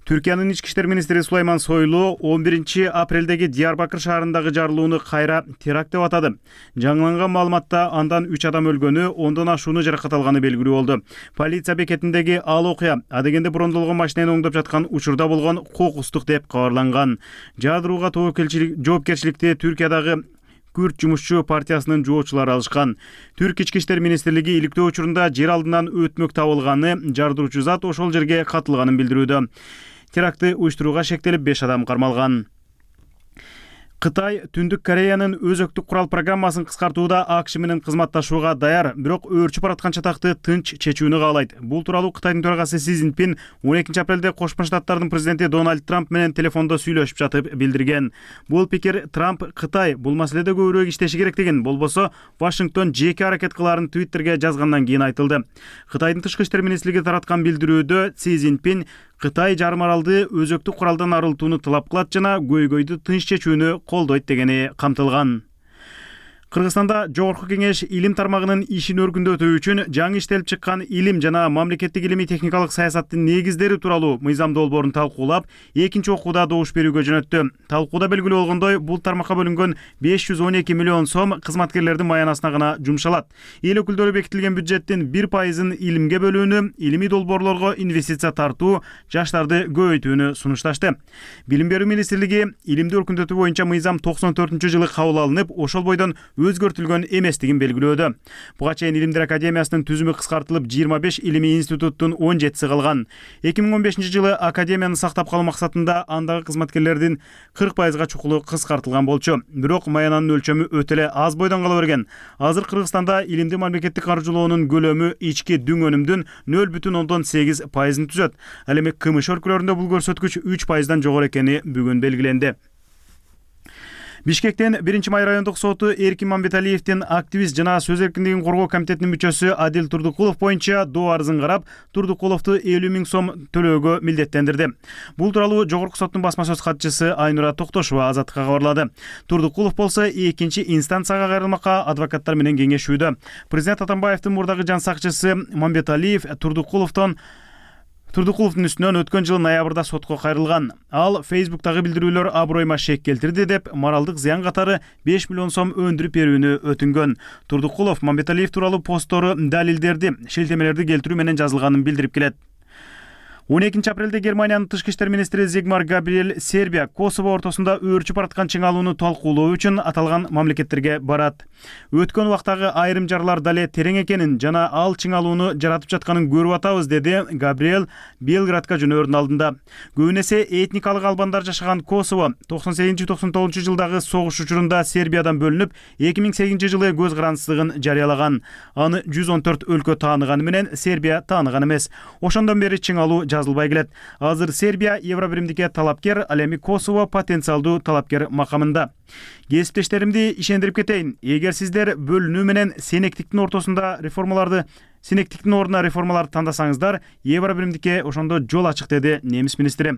Түркиянын ички иштер министри Сулайман Сойлу 11 апрелдеги Диярбакыр шаарындагы жарылууну кайра теракт деп атады. Жаңыланган маалыматта андан 3 адам өлгөнү, 10дон ашууну жаракат алганы белгилүү болду. Полиция бекетиндеги ал окуя адегенде брондолгон машинени оңдоп жаткан учурда болгон кокустук деп кабарланган. Жардырууга жоопкерчиликти Түркиядагы Күрд жумушчу партиясынын жоочулары алышкан. Түрк ички иштер министрлиги иликтөө учурунда жер алдынан өтмөк табылганы, жардыруучу зат ошол жерге катылганын билдирүүдө. Терактты уюштурууга шектелип 5 адам кармалган. Кытай Түндүк Кореянын өзөктүк курал программасын кыскартууда АКШ менен кызматташууга даяр, бирок өөрчүп бараткан чатакты тынч чечүүнү каалайт. Бул тууралуу Кытайдын төрагасы Си Цзиньпин 12 апрелде Кошмо Штаттардын президенти Дональд Трамп менен телефондо сүйлөшүп жатып билдирген. Бул пикир Трамп Кытай бул маселеде көбүрөөк иштеши керек деген, болбосо Вашингтон жеке аракет кыларын Твиттерге жазгандан кийин айтылды. Кытайдын тышкы иштер министрлиги тараткан билдирүүдө Си Цзиньпин Кытай жарым аралды өзөктүк куралдан арылтууну талап кылат жана көйгөйдү тынч чечүүнү колдойт дегени камтылган. Кыргызстанда Жогорку Кеңеш илим тармагынын ишин өркүндөтүү үчүн жаңы иштелип чыккан илим жана мамлекеттик илимий техникалык саясаттын негиздери тууралуу мыйзам долбоорун талкуулап, экинчи окууда добуш берүүгө жөнөттү. Талкууда белгилүү болгондой, бул тармакка бөлүнгөн 512 миллион сом кызматкерлердин маянасына гана жумшалат. Эл өкүлдөрү бекитилген бюджеттин 1% илимге бөлүүнү, илимий долбоорлорго инвестиция тартуу, жаштарды көбөйтүүнү сунушташты. Билим берүү министрлиги илимди өркүндөтүү боюнча мыйзам 94-жылы кабыл алынып, ошол бойдон өзгөртүлгөн эместигин белгилөөдө. Буга чейин Илимдер академиясынын түзүмү кыскартылып 25 илимий институттун 17си калган. 2015 жылы академияны сактап калуу максатында андагы кызматкерлердин 40%га чукулу кыскартылган болчу. Бирок маянанын өлчөмү өтө эле аз бойдон кала берген. Азыр Кыргызстанда илимди мамлекеттик каржылоонун көлөмү ички дүң өнүмдүн 0,8%-ын түзөт. Ал эми кмш өлкөлөрүндө бул көрсөткүч 3%дан жогору экени бүгүн белгиленди. Бишкектен 1-Май райондук соту Эркин Мамбеталиевдин активист жана сөз эркиндигин коргоо комитетинин мүчөсү Адил Турдукулов боюнча доо арызын карап, Турдукуловду 50 000 сом төлөөгө милдеттендирди. Бул тууралуу Жогорку соттун басма сөз катчысы Айнура Токтошова Азаттыкка кабарлады. Турдукулов болсо экинчи инстанцияга кайрылмакка адвокаттар менен кеңешүүдө. Президент Атамбаевдин мурдагы жан сакчысы Мамбеталиев Турдукуловдун үстүнөн өткөн жылы ноябрда сотко кайрылган. Ал Facebook'тагы билдирүүлөр аброюма шек келтирди деп моралдык зыян катары 5 миллион сом өндүрүп берүүнү өтүнгөн. Турдукулов Мамбеталиев тууралуу постору далилдерди, шилтемелерди келтирүү менен жазылганын билдирип келет. 12 апрелде Германиянын тышкы иштер министри Зигмар Габриэль Сербия Косово ортосунда өөрчүп бараткан чыңалууну талкуулоо үчүн аталган мамлекеттерге барат. Өткөн убактагы айрым жарлар дале терең экенин жана ал чыңалууну жаратып жатканын көрүп атабыз, деди Габриэль Белградка жөнөөрүнүн алдында. Көбүн эсе этникалык албандар жашаган Косово 98-99 жылдагы согуш учурунда Сербиядан бөлүнүп, 2008 жылы көз карандысыздыгын жарыялаган. Аны 114 өлкө тааныганы менен Сербия тааныган эмес. Ошондон бери чыңалуу жазылбай келет. Азыр Сербия Евробиримдикке талапкер, ал эми Косово потенциалдуу талапкер макамында. Кесиптештеримди ишендирип кетейин. Эгер сиздер бөлүнүү менен сенектиктин ортосунда сенектиктин ордуна реформаларды тандасаңыздар, Евробиримдикке ошондо жол ачык, деди немис министри.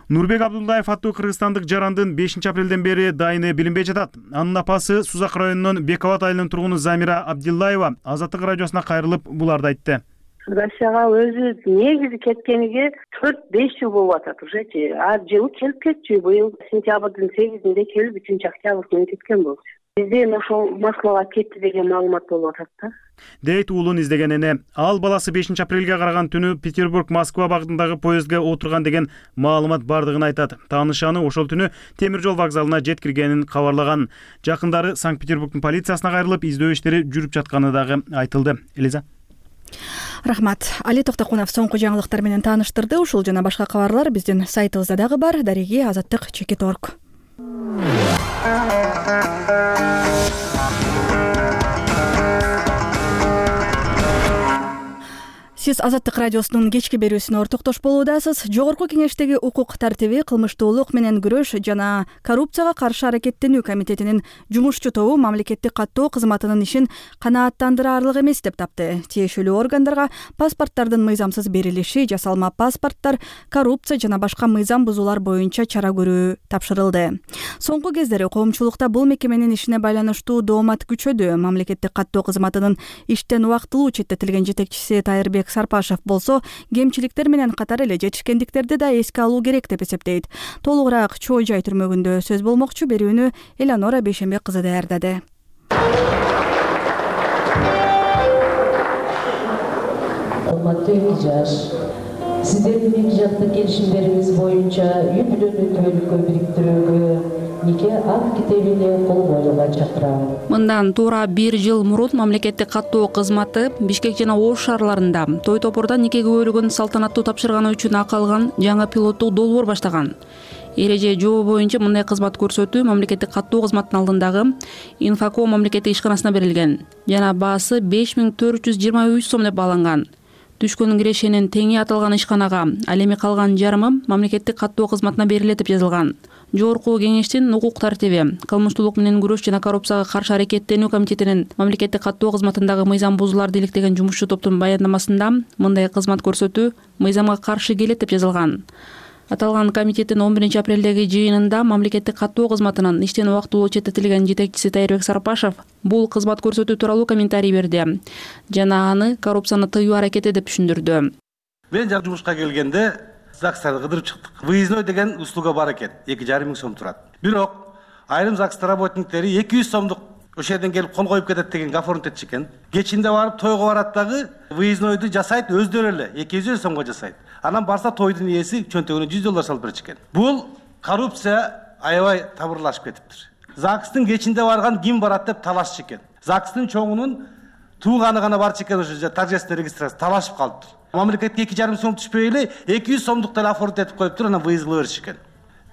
Нурбек Абдулдаев аттуу кыргызстандык жарандын 5 апрелден бери дайыны билинбей жатат. Анын апасы Сузак районунун Бековат айылынын тургуну Замира Абдиллаева Азаттык радиосуна кайрылып буларды айтты. Россияга өзү негизи кеткениге 4-5 жыл болуп атат ужечи. Жылы келип кетчү, быйыл сентябрдын 8-inde келип 3-октябрь күнү кеткен болчу. Бизден ошол Москвага кетти деген маалымат болуп атат да. Дейт уулун издеген эне. Ал баласы 5 апрелге караган түнү Петербург-Москва багытындагы поездге отурган деген маалымат бардыгын айтат. Таанышы аны ошол түнү темир жол вокзалына жеткиргенин кабарлаган. Жакындары Санкт-Петербургдун полициясына кайрылып, издөө иштери жүрүп жатканы дагы айтылды. Элиза. Рахмат. Али Токтокунов соңку жаңылыктар менен тааныштырды. Ушул жана башка кабарлар биздин сайтыбызда дагы бар. Дареги Азаттык.org. Сиз Азаттык радиосунун кечки берүүсүнө ортоктош болуудасыз. Жогорку кеңештеги укук тартиби, кылмыштуулук менен күрөш жана коррупцияга каршы аракеттенүү комитетинин жумушчу тобу мамлекеттик каттоо кызматынын ишин канааттандыраарлык эмес деп тапты. Тиешелүү органдарга паспорттардын мыйзамсыз берилиши, жасалма паспорттар, коррупция жана башка мыйзам бузуулар боюнча чара көрүү тапшырылды. Соңку кездери коомчулукта бул мекеменин ишине байланыштуу доомат күчөдү. Мамлекеттик каттоо кызматынын иштен убактылуу четтетилген жетекчиси Тайырбек Сарпашев болсо, кемчиликтер менен катар эле жетишкендиктерди да эске алуу керек деп эсептейт. Толугураак Чоо Жай түрмөгүндө сөз болмокчу. Берүүнү Эланора Бейшембек кызы даярдады. Урматтуу эки жаш, сиздердин эки жактуу келишимдериңиз боюнча үй бүлөнү түбөлүккө бириктирүүгө нике акт китебине кол коюуга чакырам. Мындан туура 1 жыл мурун мамлекеттик каттоо кызматы Бишкек жана Ош шаарларында той топурда нике күбөлүгүн салтанаттуу тапшырганы үчүн акы алган жаңы пилоттук долбоор баштаган. Эреже жобо боюнча мындай кызмат көрсөтүү мамлекеттик каттоо кызматынын алдындагы Инфоко мамлекеттик ишканасына берилген жана баасы 5423 сом деп бааланган. Түшкөн кирешенин теңи аталган ишканага, ал эми калган жарымы мамлекеттик каттоо кызматына берилет деп жазылган. Жогорку кеңештин укук тартиби, кылмыштуулук менен күрөш жана коррупцияга каршы аракеттенүү комитетинин мамлекеттик каттоо кызматындагы мыйзам бузууларды иликтеген жумушчу топтун баяндамасында мындай кызмат көрсөтүү мыйзамга каршы келет деп жазылган. Аталган комитеттин 11 апрелдеги жыйынында мамлекеттик каттоо кызматынын иштен убактылуу четтетилген жетекчиси Тайырбек Сарпашев бул кызмат көрсөтүү тууралуу комментарий берди жана аны коррупцияны тыюу аракети деп түшүндүрдү. Мен жумушка келгенде ЗАГСтарды кыдырып чыктык. Выездной деген услуга бар экен. 2,5 миң сом турат. Бирок айрым ЗАГС работниктери 200 сомдук ошол жерден келип кол коюп кетет деген гафорнут этчи экен. Кечинде барып тойго барат дагы выезднойду жасайт өздөрү эле 200 сомго жасайт. Анан барса тойдун ээси чөнтөгүнө $100 салып берчү экен. Бул коррупция аябай табырлашып кетиптир. ЗАГСтын кечинде барган ким барат деп талашчу экен. ЗАГСтын чоңунун тууганы гана барчу экен, ошо торжественный регистрация талашып калыптыр. Мамлекетке 2,5 сом түшпөй эле 200 сомдук деле оформить этип коюптур, анан выездлоо бериши экен.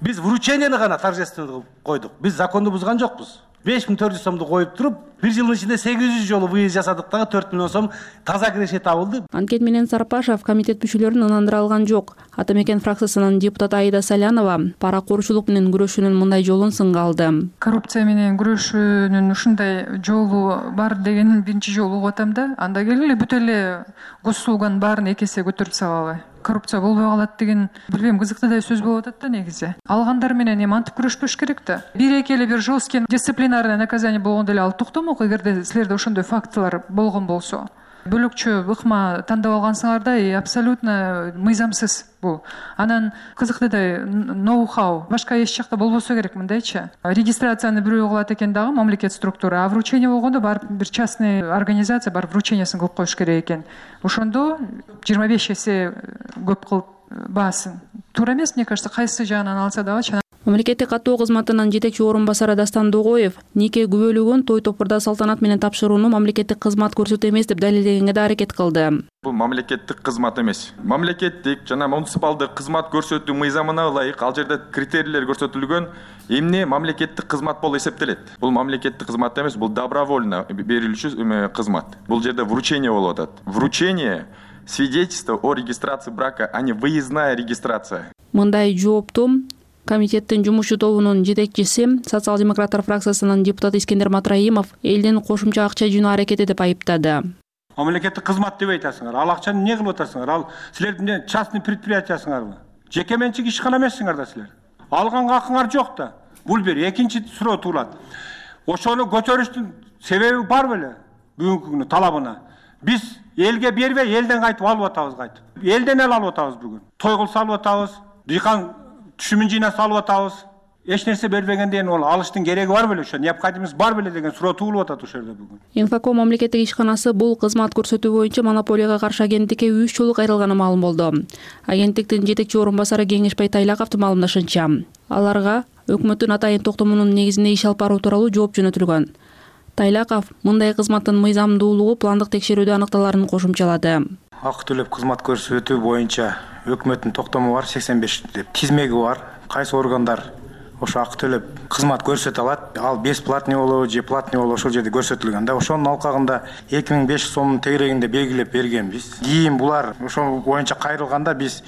Биз вручениени гана торжественный кылып койдук. Биз законду бузган жокпуз. 5400 сомду коюп туруп, 1 жылдын ичинде 800 жолу выезд жасадык дагы 4 миллион сом таза киреше табылды. Анткет менен Сарпашев комитет мүчөлөрүн ынандыра алган жок. Ата мекен фракциясынын депутаты Аида Салянова паракорчулук менен күрөшүүнүн мындай жолун сынга алды. Коррупция менен күрөшүүнүн ушундай жолу бар дегенин биринчи жолу угуп атам да. Анда келгиле бүт эле госуслуганын баарын 2 эсе көтөрүп салалы. Коррупция болбой калат деген билбейм, кызыктуу сөз болуп атат да негизи. Алгандар менен эми антип күрөшпөш керек да. Бир-эки эле бир жесткий дисциплинарный наказание болгондо эле ал токтомок, эгерде силерде ошондой фактылар болгон болсо. Бөлөкчө ыкма тандап алгансыңар да, абсолютно мыйзамсыз бул. Анан кызыктуу ноу-хау башка эч жакта болбосо керек мындайчы. Регистрацияны бирөө кылат экен дагы мамлекет структура, а вручение болгондо барып бир частный организация барып вручениясын кылып коюш керек экен. Ошондо 25 эсе көп кылып баасын. Туура эмес, мне кажется, кайсы жагынан алса дагы. Мамлекеттик каттоо кызматынын жетекчи орун басары Дастан Догоев нике күбөлүгүн той топурда салтанат менен тапшырууну мамлекеттик кызмат көрсөтүү эмес деп далилдегенге да аракет кылды. Бул мамлекеттик кызмат эмес. Мамлекеттик жана муниципалдык кызмат көрсөтүү мыйзамына ылайык ал жерде критерийлер көрсөтүлгөн эмне мамлекеттик кызмат болуп эсептелет. Бул мамлекеттик кызмат эмес, бул добровольно берилүүчү кызмат. Бул жерде вручение болуп атат. Вручение свидетельство о регистрации брака, а не выездная регистрация. Мындай жоопту комитеттин жумушчу тобунун жетекчиси, социал-демократтар фракциясынын депутаты Искендер Матраимов элдин кошумча акча жыйноо аракети деп айыптады. Мамлекеттик кызмат деп айтасыңар. Ал акчаны эмне кылып атасыңар? Ал силердин частный предприятиясыңарбы? Жеке менчик ишкана эмессиңар да силер. Алганга акыңар жок да. Бул бир экинчи суроо туулат. Ошону көтөрүштүн себеби бар беле? Бүгүнкү күнү талабына. Биз элге бербей, элден кайтып алып атабыз кайтып. Элден алып атабыз бүгүн. Той кылса алып атабыз, дыйкан түшүмүн жыйнаса алып атабыз. Эч нерсе бербегенден ол алыштын кереги бар беле ошо? Необходимость бар беле деген суроо туулуп атат ошол жерде бүгүн. Инфоком мамлекеттик ишканасы бул кызмат көрсөтүү боюнча монополияга каршы агенттикке 3 жолу кайрылганы маалым болду. Агенттиктин жетекчи орун басары Кеңешбай Тайлаковдун маалымдашынча, аларга өкмөттүн атайын токтомунун негизинде иш алып баруу тууралуу жооп жөнөтүлгөн. Тайлаков мындай кызматтын мыйзамдуулугу пландык текшерүүдө аныкталарын кошумчалады. Акы төлөп кызмат көрсөтүү боюнча өкмөттүн токтому бар 85 деп тизмеги бар. Кайсы органдар ошо акы төлөп кызмат көрсөтө алат. Ал бесплатный болобу же платный болобу ошол жерде көрсөтүлгөн да. Ошонун алкагында 2500 сомдун тегерегинде белгилеп бергенбиз. Кийин булар ошол боюнча кайрылганда биз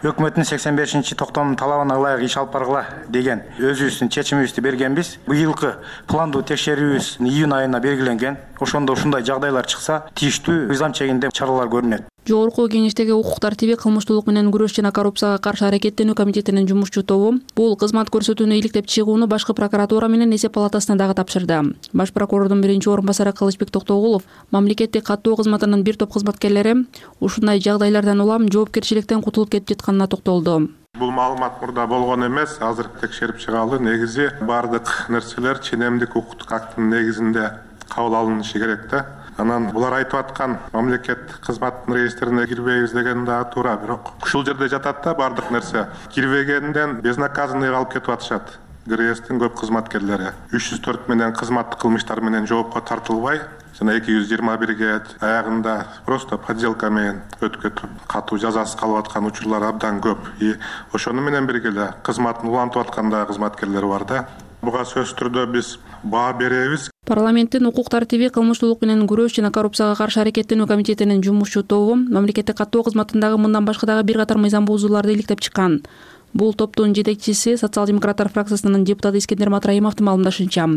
өкмөттүн 85 токтомунун талабына ылайык иш алып баргыла деген өзүбүздүн чечимибизди бергенбиз. Быйылкы пландуу текшерүүбүз июнь айына белгиленген. Ошондо ушундай жагдайлар чыкса, тийиштүү мыйзам чегинде чаралар көрүнөт. Жогорку Кеңештеги укук тартиби, кылмыштуулук менен күрөш жана коррупцияга каршы аракеттенүү комитетинин жумушчу тобу бул кызмат көрсөтүүнү иликтеп чыгууну башкы прокуратура менен эсеп палатасына дагы тапшырды. Баш прокурордун биринчи орун басары Кылычбек Токтогулов мамлекеттик каттоо кызматынын бир топ кызматкерлери ушундай жагдайлардан улам жоопкерчиликтен кутулуп кетип жатканына токтолду. Бул маалымат мурда болгон эмес, азыр текшерип чыгалы. Негизи бардык нерселер ченемдик укуктук актынын негизинде кабыл алынышы керек да. Анан булар айтып аткан мамлекеттик кызматтын реестрине кирбейбиз деген да туура, бирок ушул жерде жатат да бардык нерсе. Кирбегенден безнаказанныйга алып кетип атышат. ГРСтин көп кызматкерлери 304 менен кызматтык кылмыштар менен жоопко тартылбай, жана 221ге аягында просто подделка менен өтүп катуу жазасыз калып аткан учурлар абдан көп. И ошону менен бирге эле кызматын улантып аткан да кызматкерлер бар да. Буга сөзсүз түрдө биз баа беребиз. Парламенттин укук тартиби, кылмыштуулук менен күрөш жана коррупцияга каршы аракеттенүү комитетинин жумушчу тобу мамлекеттик каттоо кызматындагы мындан башка дагы бир катар мыйзам бузууларды иликтеп чыккан. Бул топтун жетекчиси, социал-демократтар фракциясынын депутаты Искендер Матраимовдун маалымдашынча,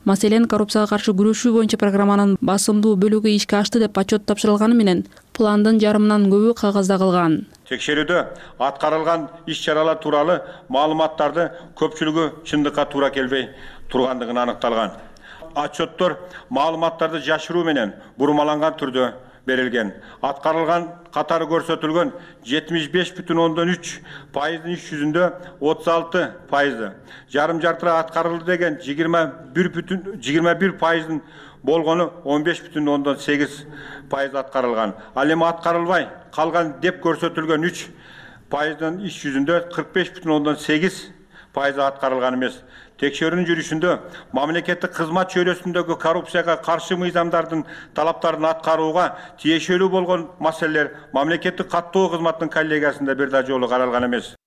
маселен коррупцияга каршы күрөшүү боюнча программанын басымдуу бөлүгү ишке ашты деп отчет тапшырылганы менен пландын жарымынан көбү кагазда калган. Текшерүүдө аткарылган иш-чаралар тууралуу маалыматтарды көпчүлүгү чындыкка туура келбей тургандыгын аныкталган. Отчеттор маалыматтарды жашыруу менен бурмаланган түрдө берилген. Аткарылган катары көрсөтүлгөн 75,3% иш жүзүндө 36%, жарым жартыра аткарылды деген 21% болгону 15,8% аткарылган. Ал эми аткарылбай калган деп көрсөтүлгөн 3% иш жүзүндө 45,8% аткарылган эмес. Текшерүүнүн жүрүшүндө мамлекеттик кызмат чөйрөсүндөгү коррупцияга каршы мыйзамдардын талаптарын аткарууга тиешелүү болгон маселелер мамлекеттик каттоо кызматынын коллегиясында бир да жолу каралган эмес.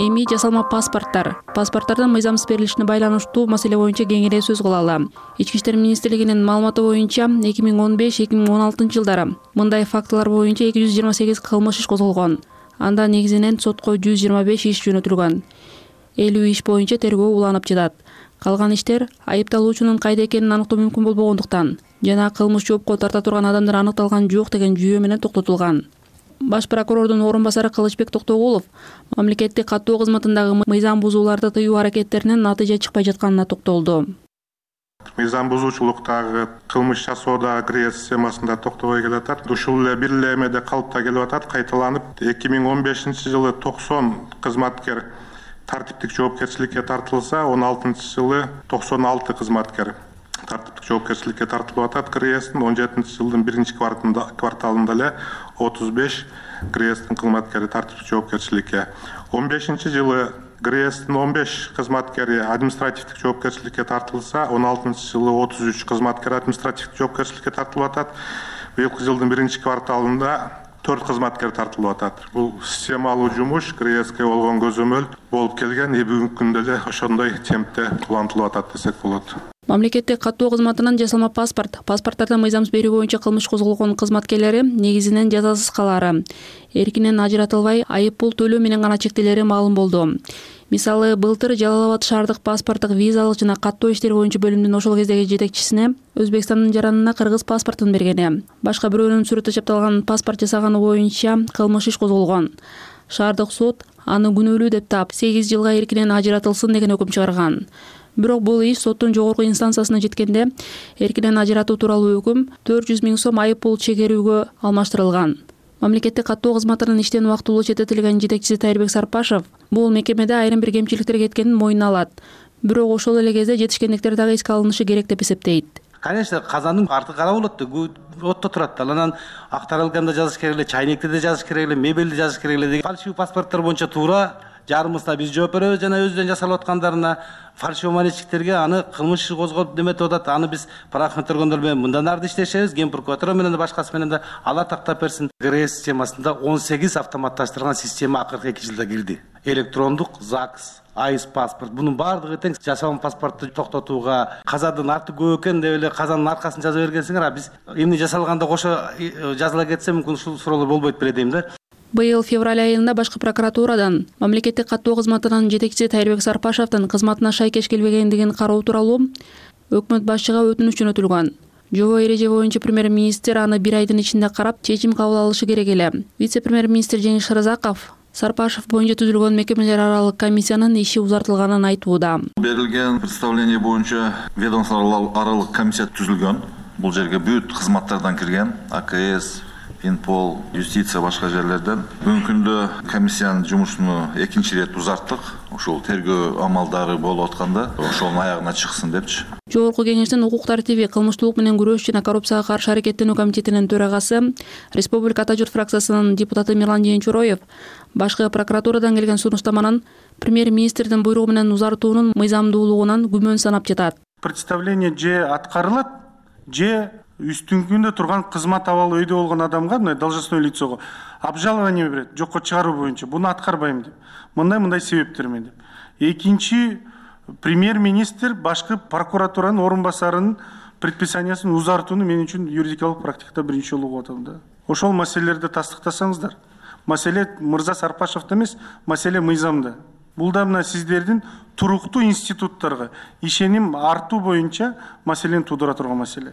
Эми жасалма паспорттардын мыйзамсыз берилишине байланыштуу маселе боюнча кеңири сөз кылалы. Ички иштер министрлигинин маалыматы боюнча 2015-2016 жылдары мындай фактылар боюнча 228 кылмыш иш козголгон. Анда негизинен сотко 125 иш жөнөтүлгөн. 50 иш боюнча тергөө уланып жатат. Калган иштер айыпталуучунун кайда экенин аныктоо мүмкүн болбогондуктан жана кылмыш жоопко тарта турган адамдар аныкталган жок деген жүйө менен токтотулган. Баш прокурордун орун басары Кылычбек Токтогулов мамлекеттик каттоо кызматындагы мыйзам бузууларды тыюу аракеттеринен натыйжа чыкпай жатканына токтолду. Мыйзам бузуучулуктагы кылмыш жасоодагы ГРС системасында токтобой келатат. Ушул эле бир эле эмеде калыпта келип атат. Кайталанып 2015-жылы 90 кызматкер тартиптик жоопкерчиликке тартылса, 16-жылы 96 кызматкер тартиптик жоопкерчиликке тартылып атат. ГРСтин 17-жылдын биринчи кварталында эле 35 ГРСтин кызматкери тартиптик жоопкерчиликке, 15-жылы ГРСтин 15 кызматкери административдик жоопкерчиликке тартылса, 16-жылы 33 кызматкер административдик жоопкерчиликке тартылып атат. Быйылкы жылдын биринчи кварталында 4 кызматкер тартылып атат. Бул системалуу жумуш КРСК болгон көзөмөл болуп келген, бүгүнкү күндө эле ошондой темпте улантылып атат десек болот. Мамлекеттик каттоо кызматынан жасалма паспорттардан мыйзамсыз берүү боюнча кылмыш козголгон кызматкерлери негизинен жазасыз калаары, эркинен ажыратылбай айып пул төлөө менен гана чектелери маалым болду. Мисалы, былтыр Жалал Абад шаардык паспорттук визалык жана каттоо иштери боюнча бөлүмдүн ошол кездеги жетекчисине Өзбекстандын жаранына кыргыз паспортун бергени, башка бирөөнүн сүрөтү чапталган паспорт жасаганы боюнча кылмыш иш козголгон. Шаардык суд аны күнөөлүү деп таап 8 жылга эркинен ажыратылсын деген өкүм чыгарган. Бирок бул иш соттун жогорку инстанциясына жеткенде эркинен ажыратуу тууралуу өкүм 400 000 сом айып пул чегерүүгө алмаштырылган. Мамлекеттик каттоо кызматынын иштен убактылуу четтетилген жетекчиси Тайырбек Сарпашев бул мекемеде айрым бир кемчиликтер кеткенин мойнуна алат. Бирок ошол эле кезде жетишкендиктер дагы эске алынышы керек деп эсептейт. Конечно, казандын арты кара болот да, отто турат да. Анан актарылганда жазыш керек эле, чайнекти да жазыш керек эле, мебелди жазыш керек эле деген фальшивый паспорттор боюнча туура жарымысына биз жооп беребиз жана өзүнөн жасалып аткандарына фальшивый монетчиктерге аны кылмыш иши козгоп неметип атат. Аны биз правоохранительдик органдар менен мындан арды иштешебиз, ген прокуратура менен да башкасы менен да алар тактап берсин. ГРС системасында 18 автоматташтырылган система акыркы 2 жылда кирди. Электрондук ЗАГС, айс паспорт, бунун баардыгы тең жасалган паспортту токтотууга, казадын арты көп экен деп эле казанын аркасын жаза бергенсиңер, а биз эмне жасалганда кошо жазыла кетсе мүмкүн ушул суроолор болбойт беле дейм да. Быйыл февраль айында башкы прокуратурадан мамлекеттик каттоо кызматынын жетекчиси Тайырбек Сарпашевдин кызматына шайкеш келбегендигин кароо тууралуу өкмөт башчыга өтүнүч жөнөтүлгөн. Жобо эреже боюнча премьер-министр аны 1 айдын ичинде карап, чечим кабыл алышы керек эле. Вице-премьер-министр Жеңиш Шырзаков Сарпашев боюнча түзүлгөн мекемелер аралык комиссиянын иши узартылганын айтууда. Берилген представление боюнча ведомство аралык комиссия түзүлгөн. Бул жерге бүт кызматтардан кирген, АКС, Финпол, юстиция башка жерлерден. Бүгүнкү күндө комиссиянын жумушуну экинчи ирет узарттык. Ошол тергөө амалдары болуп атканда, ошонун аягына чыксын депчи. Жогорку кеңештин укук тартиби, кылмыштуулук менен күрөш жана коррупцияга каршы аракеттенүү комитетинин төрагасы, Республика Ата журт фракциясынын депутаты Мирлан Жээнчуроев башкы прокуратурадан келген сунуштаманын премьер-министрдин буйругу менен узартуунун мыйзамдуулугунан күмөн санап жатат. Представление же аткарылат, же үстүңкүндө турган кызмат абалы өйдө болгон адамга, мына должностной лицого обжалование берет, жокко чыгаруу боюнча, буну аткарбайм деп. Мындай себептер менен деп. Экинчи, премьер-министр башкы прокуратуранын орун басарынын предписаниясын узартууну мен үчүн юридикалык практикада биринчи жолу угуп атам да. Ошол маселелерди тастыктасаңыздар. Маселе мырза Сарпашевде эмес, маселе мыйзамда. Бул да мына сиздердин туруктуу институттарга ишеним артуу боюнча маселени туудура турган маселе.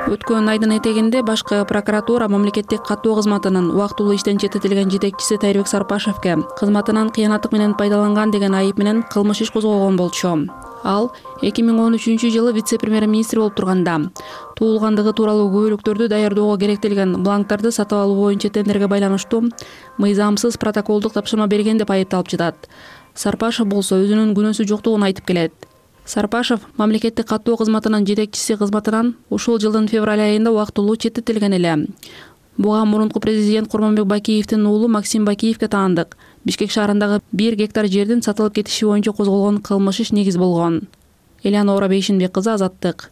Өткөн айдын этегинде башкы прокуратура мамлекеттик каттоо кызматынын убактылуу иштен четтетилген жетекчиси Тайырбек Сарпашевке кызматынан кыянаттык менен пайдаланган деген айып менен кылмыш иш козголгон болчу. Ал 2013 жылы вице-премьер-министр болуп турганда туулгандыгы тууралуу күбөлүктөрдү даярдоого керектелген бланктарды сатып алуу боюнча тендерге байланыштуу мыйзамсыз протоколдук тапшырма берген деп айыпталып жатат. Сарпашев болсо өзүнүн күнөөсү жоктугун айтып келет. Сарпашев мамлекеттик каттоо кызматынын жетекчиси кызматынан ушул жылдын февраль айында убактылуу четтетилген эле. Буга мурунку президент Курманбек Бакиевдин уулу Максим Бакиевге таандык Бишкек шаарындагы 1 гектар жердин сатылып кетиши боюнча козголгон кылмыш иш негиз болгон. Элеонора Бейшинбек кызы, Азаттык.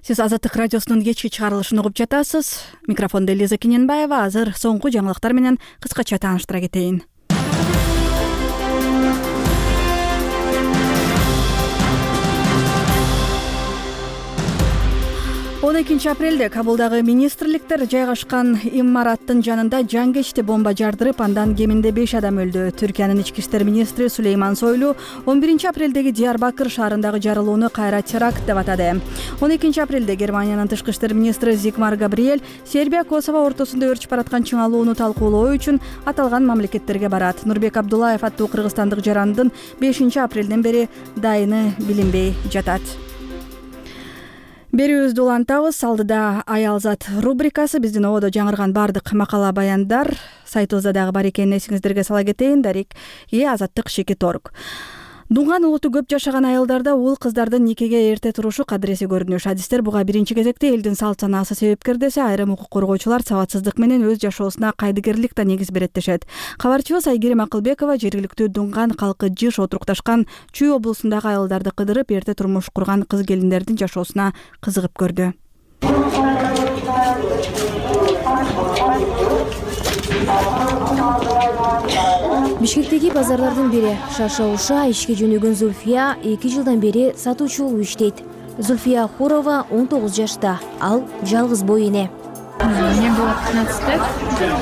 Сиз Азаттык радиосунун кечки чыгарылышын угуп жатасыз. Микрофондо Элиза Кененбаева. Азыр соңку жаңылыктар менен кыскача тааныштыра кетейин. 12 апрелде Кабулдагы министрликтер жайгашкан имараттын жанында жангечти бомба жардырып, андан кеминде 5 адам өлдү. Түркиянын ички иштер министри Сулейман Сойлу 11 апрелдеги Диярбакыр шаарындагы жарылууну кайра теракт деп атады. 12 апрелде Германиянын тышкы иштер министри Зигмар Габриэль Сербия Косово ортосунда өрчүп бараткан чыңалууну талкуулоо үчүн аталган мамлекеттерге барат. Нурбек Абдуллаев аттуу кыргызстандык жарандын 5 апрелден бери дайыны билинбей жатат. Берүүбүздү улантабыз. Алдыда Аялзат рубрикасы, биздин ободо жаңырган бардык макала баяндар сайтыбызда дагы бар экенин эсиңиздерге сала кетейин. Дарик Азаттык Шекит Орг. Дунган улуту көп жашаган айылдарда уул кыздардын никеге эрте турушу кадыреси көрүнүш. Адистер буга биринчи кезекте элдин салт санаасы себепкер десе, айрым укук коргоочулар сабатсыздык менен өз жашоосуна кайдыгерлик да негиз берет дешет. Кабарчыбыз Айгерим Акылбекова жергиликтүү Дунган калкы жыш отурукташкан Чүй облусундагы айылдарды кыдырып, эрте турмуш курган кыз келиндердин жашоосуна кызыгып көрдү. Бишкектеги базарлардын бири шарша-уша ишке жөнөгөн Зульфия 2 жылдан бери сатуучу болуп иштейт. Зульфия Хурова 19 жашта, ал жалгыз бой эне. Мне было 15 лет,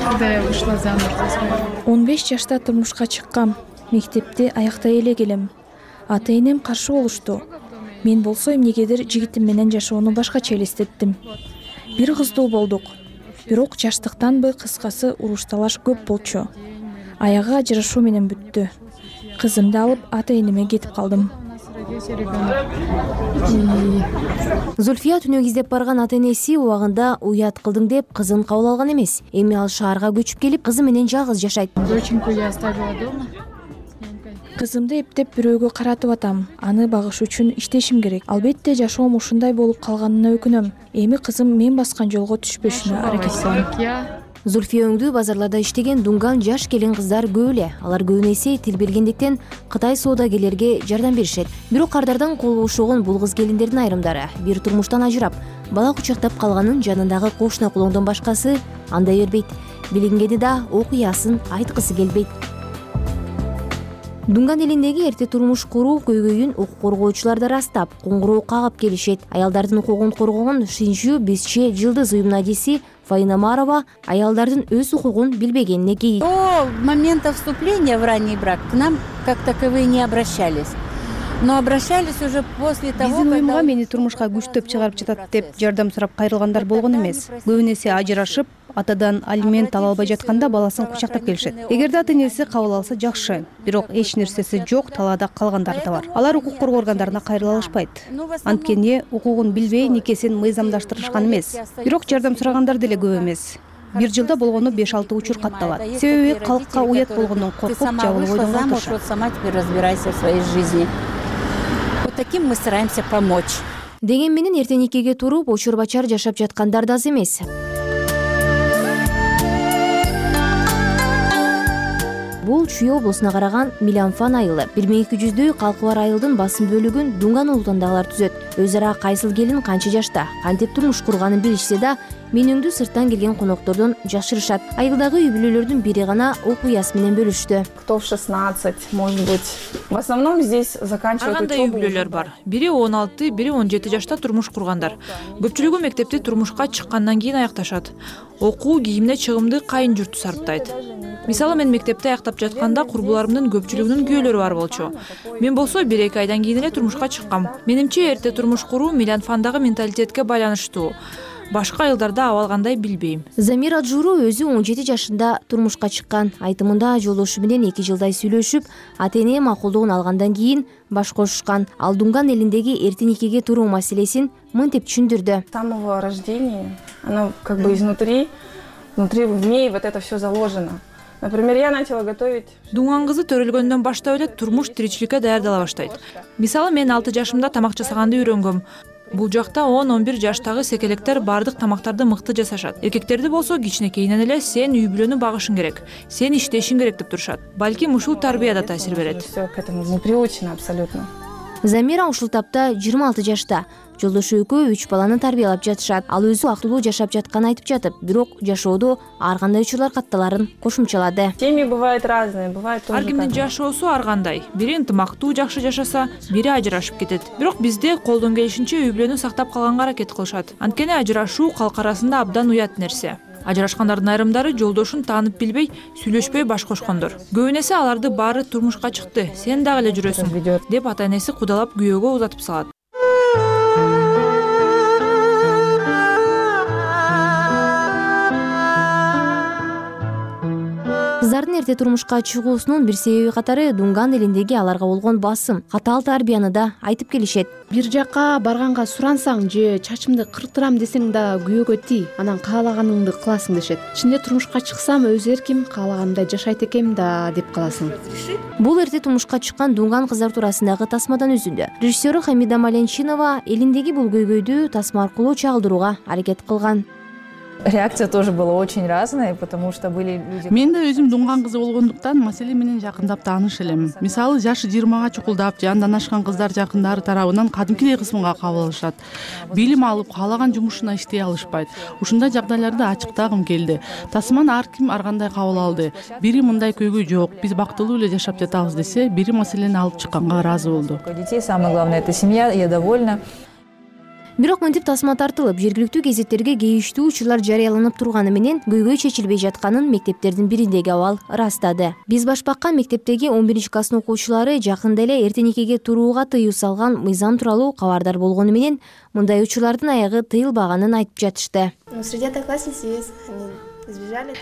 когда я вышла замуж за своего. 15 жашта турмушка чыккам. Мектепти аяктай эле келем. Ата-энем каршы болушту. Мен болсо эмнегедир жигитим менен жашоону башкача элестеттим. Бир кыздуу болдук. Бирок жаштыктанбы, кыскасы уруш-талаш көп болчу. Аягы ажырашуу менен бүттү. Кызымды алып ата-энеме кетип калдым. Зульфия түнөк издеп барган ата-энеси убагында уят кылдың деп кызын кабыл алган эмес. Эми ал шаарга көчүп келип, кызы менен жалгыз жашайт. Доченьку я оставила дома. Кызымды эптеп бирөөгө каратып атам. Аны багыш үчүн иштешим керек. Албетте жашоом ушундай болуп калганына өкүнөм. Эми кызым мен баскан жолго түшпөшүнө аракет кылам. Зульфия өңдүү базарларда иштеген Дунган жаш келин кыздар көп эле. Алар көбүнесе тил билгендиктен Кытай соодагерлерге жардам беришет. Бирок кардардан кол бошогон бул кыз келиндердин айрымдары бир турмуштан ажырап, бала кучактап калганын жанындагы кошуна кулоңдон башкасы андай бербейт. Билингени да окуясын айткысы келбейт. Дунган элиндеги эрте турмуш куруу көйгөйүн укук коргоочулар да растап, коңгуроо кагып келишет. Аялдардын укугун коргогон Шинжу Бизче Жылдыз уюмунун адиси Фаина Марова аялдардын өз укугун билбегенине кейит. До момента вступления в ранний брак к нам как таковые не обращались. Но обращались уже после того, биздин уюмга мени турмушка күчтөп чыгарып жатат деп жардам сурап кайрылгандар болгон эмес. Көбүнесе ажырашып, атадан алимент ала албай жатканда баласын кучактап келишет. Эгерде ата-энеси кабыл алса жакшы, бирок эч нерсеси жок, талаада калгандары да бар. Алар укук коргоо органдарына кайрыла алышпайт. Анткени укугун билбей никесин мыйзамдаштырышкан эмес. Бирок жардам сурагандар деле көп эмес. Бир жылда болгону 5-6 учур катталат. Себеби калкка уят болгондон коркуп жабылып ойдонгон турушат. Сама теперь разбирайся в своей жизни. Вот таким мы стараемся помочь. Деген менен эрте никеге туруп, очур-бачар жашап жаткандар да аз эмес. Бул Чүй облусуна караган Миланфан айылы. 1200дөй калкы бар айылдын басым бөлүгүн Дунган улутундагылар түзөт. Өз ара кайсыл келин канча жашта, кантип турмуш курганын билишсе да, менүңдү сырттан келген коноктордон жашырышат. Айылдагы үй бүлөлөрдүн бири гана окуясы менен бөлүштү. Кто в 16, может быть. В основном здесь заканчивают учебу. Кандай үй бүлөлөр бар. Бири 16, бири 17 жашта турмуш кургандар. Көпчүлүгү мектепти турмушка чыккандан кийин аякташат. Окуу, кийимине чыгымды кайын журту сарптайт. Мисалы мен мектепти аяктап жатканда курбуларымдын көпчүлүгүнүн күйөөлөрү бар болчу. Мен болсо 1-2 айдан кийин эле турмушка чыккам. Менимче эрте турмуш куруу Миланфандагы менталитетке байланыштуу. Башка айылдарда абалгандай билбейм. Замира Журу өзү 17 жашында турмушка чыккан. Айтымында жолдошу менен 2 жылдай сүйлөшүп, ата-эне макулдугун алгандан кийин баш кошушкан. Ал Дунган элиндеги эрте никеге туруу маселесин мынтип түшүндүрдү. С самого рождения, оно как бы изнутри в ней вот это все заложено. Например, я начала готовить. Дунган кызы төрөлгөндөн баштап эле турмуш тиричиликке даярдала баштайт. Мисалы мен 6 жашымда тамак жасаганды үйрөнгөм. Бул жакта 10-11 жаштагы секелектер бардык тамактарды мыкты жасашат. Эркектерди болсо кичинекейинен эле сен үй бүлөнү багышың керек, сен иштешиң керек деп турушат. Балким ушул тарбия да таасир берет. Все к этому не приучено абсолютно. Замира ушул тапта 26 жашта. Жолдошу экөө 3 баланы тарбиялап жатышат. Ал өзү актылуу жашап жатканын айтып жатып, бирок жашоодо ар кандай учурлар катталарын кошумчалады. Семьи бывают разные, бывает тоже. Ар кимдин жашоосу ар кандай. Бири ынтымактуу жакшы жашаса, бири ажырашып кетет. Бирок бизде колдон келишинче үй бүлөнү сактап калганга аракет кылышат. Анткени ажырашуу калк арасында абдан уят нерсе. Ажырашкандардын айрымдары жолдошун таанып билбей, сүйлөшпөй баш кошкондор. Көбүнесе аларды баары турмушка чыкты, сен дагы эле жүрөсүң деп ата-энеси кудалап күйөөгө узатып салат. Кыздардын эрте турмушка чыгуусунун бир себеби катары Дунган элиндеги аларга болгон басым, катаал тарбияны да айтып келишет. Бир жакка барганга сурансаң же чачымды кыртырам десең да күйөөгө тий, анан каалаганыңды кыласың дешет. Ичинде турмушка чыксам өз эрким, каалаганымдай жашайт экем да деп каласың. Бул эрте турмушка чыккан Дунган кыздар туурасындагы тасмадан үзүндү. Режиссеру Хамида Маленчинова элиндеги бул көйгөйдү тасма аркылуу чагылдырууга аракет кылган. Реакция тоже была очень разная, потому что были люди. Мен да өзүм Дунган кызы болгондуктан маселе менен жакындап тааныш элем. Мисалы жашы 20га чукулдап, жандан ашкан кыздар жакындары тарабынан кадимкидей кысымга кабыл алышат. Билим алып, каалаган жумушуна иштей алышпайт. Ушундай жагдайларды ачыктагым келди. Тасманы ар ким ар кандай кабыл алды. Бири мындай көйгөй жок, биз бактылуу эле жашап жатабыз десе, бири маселени алып чыкканга ыраазы болду. Детей самое главное это семья, я довольна. Бирок мынтип тасма тартылып, жергиликтүү гезеттерге кейиштүү учурлар жарыяланып турганы менен көйгөй чечилбей жатканын мектептердин бириндеги абал ырастады. Биз башбакка мектептеги 11-класстын окуучулары жакында эле эртенекеге турууга тыюу салган мыйзам тууралуу кабардар болгону менен мындай учурлардын аягы тыйылбаганын айтып жатышты.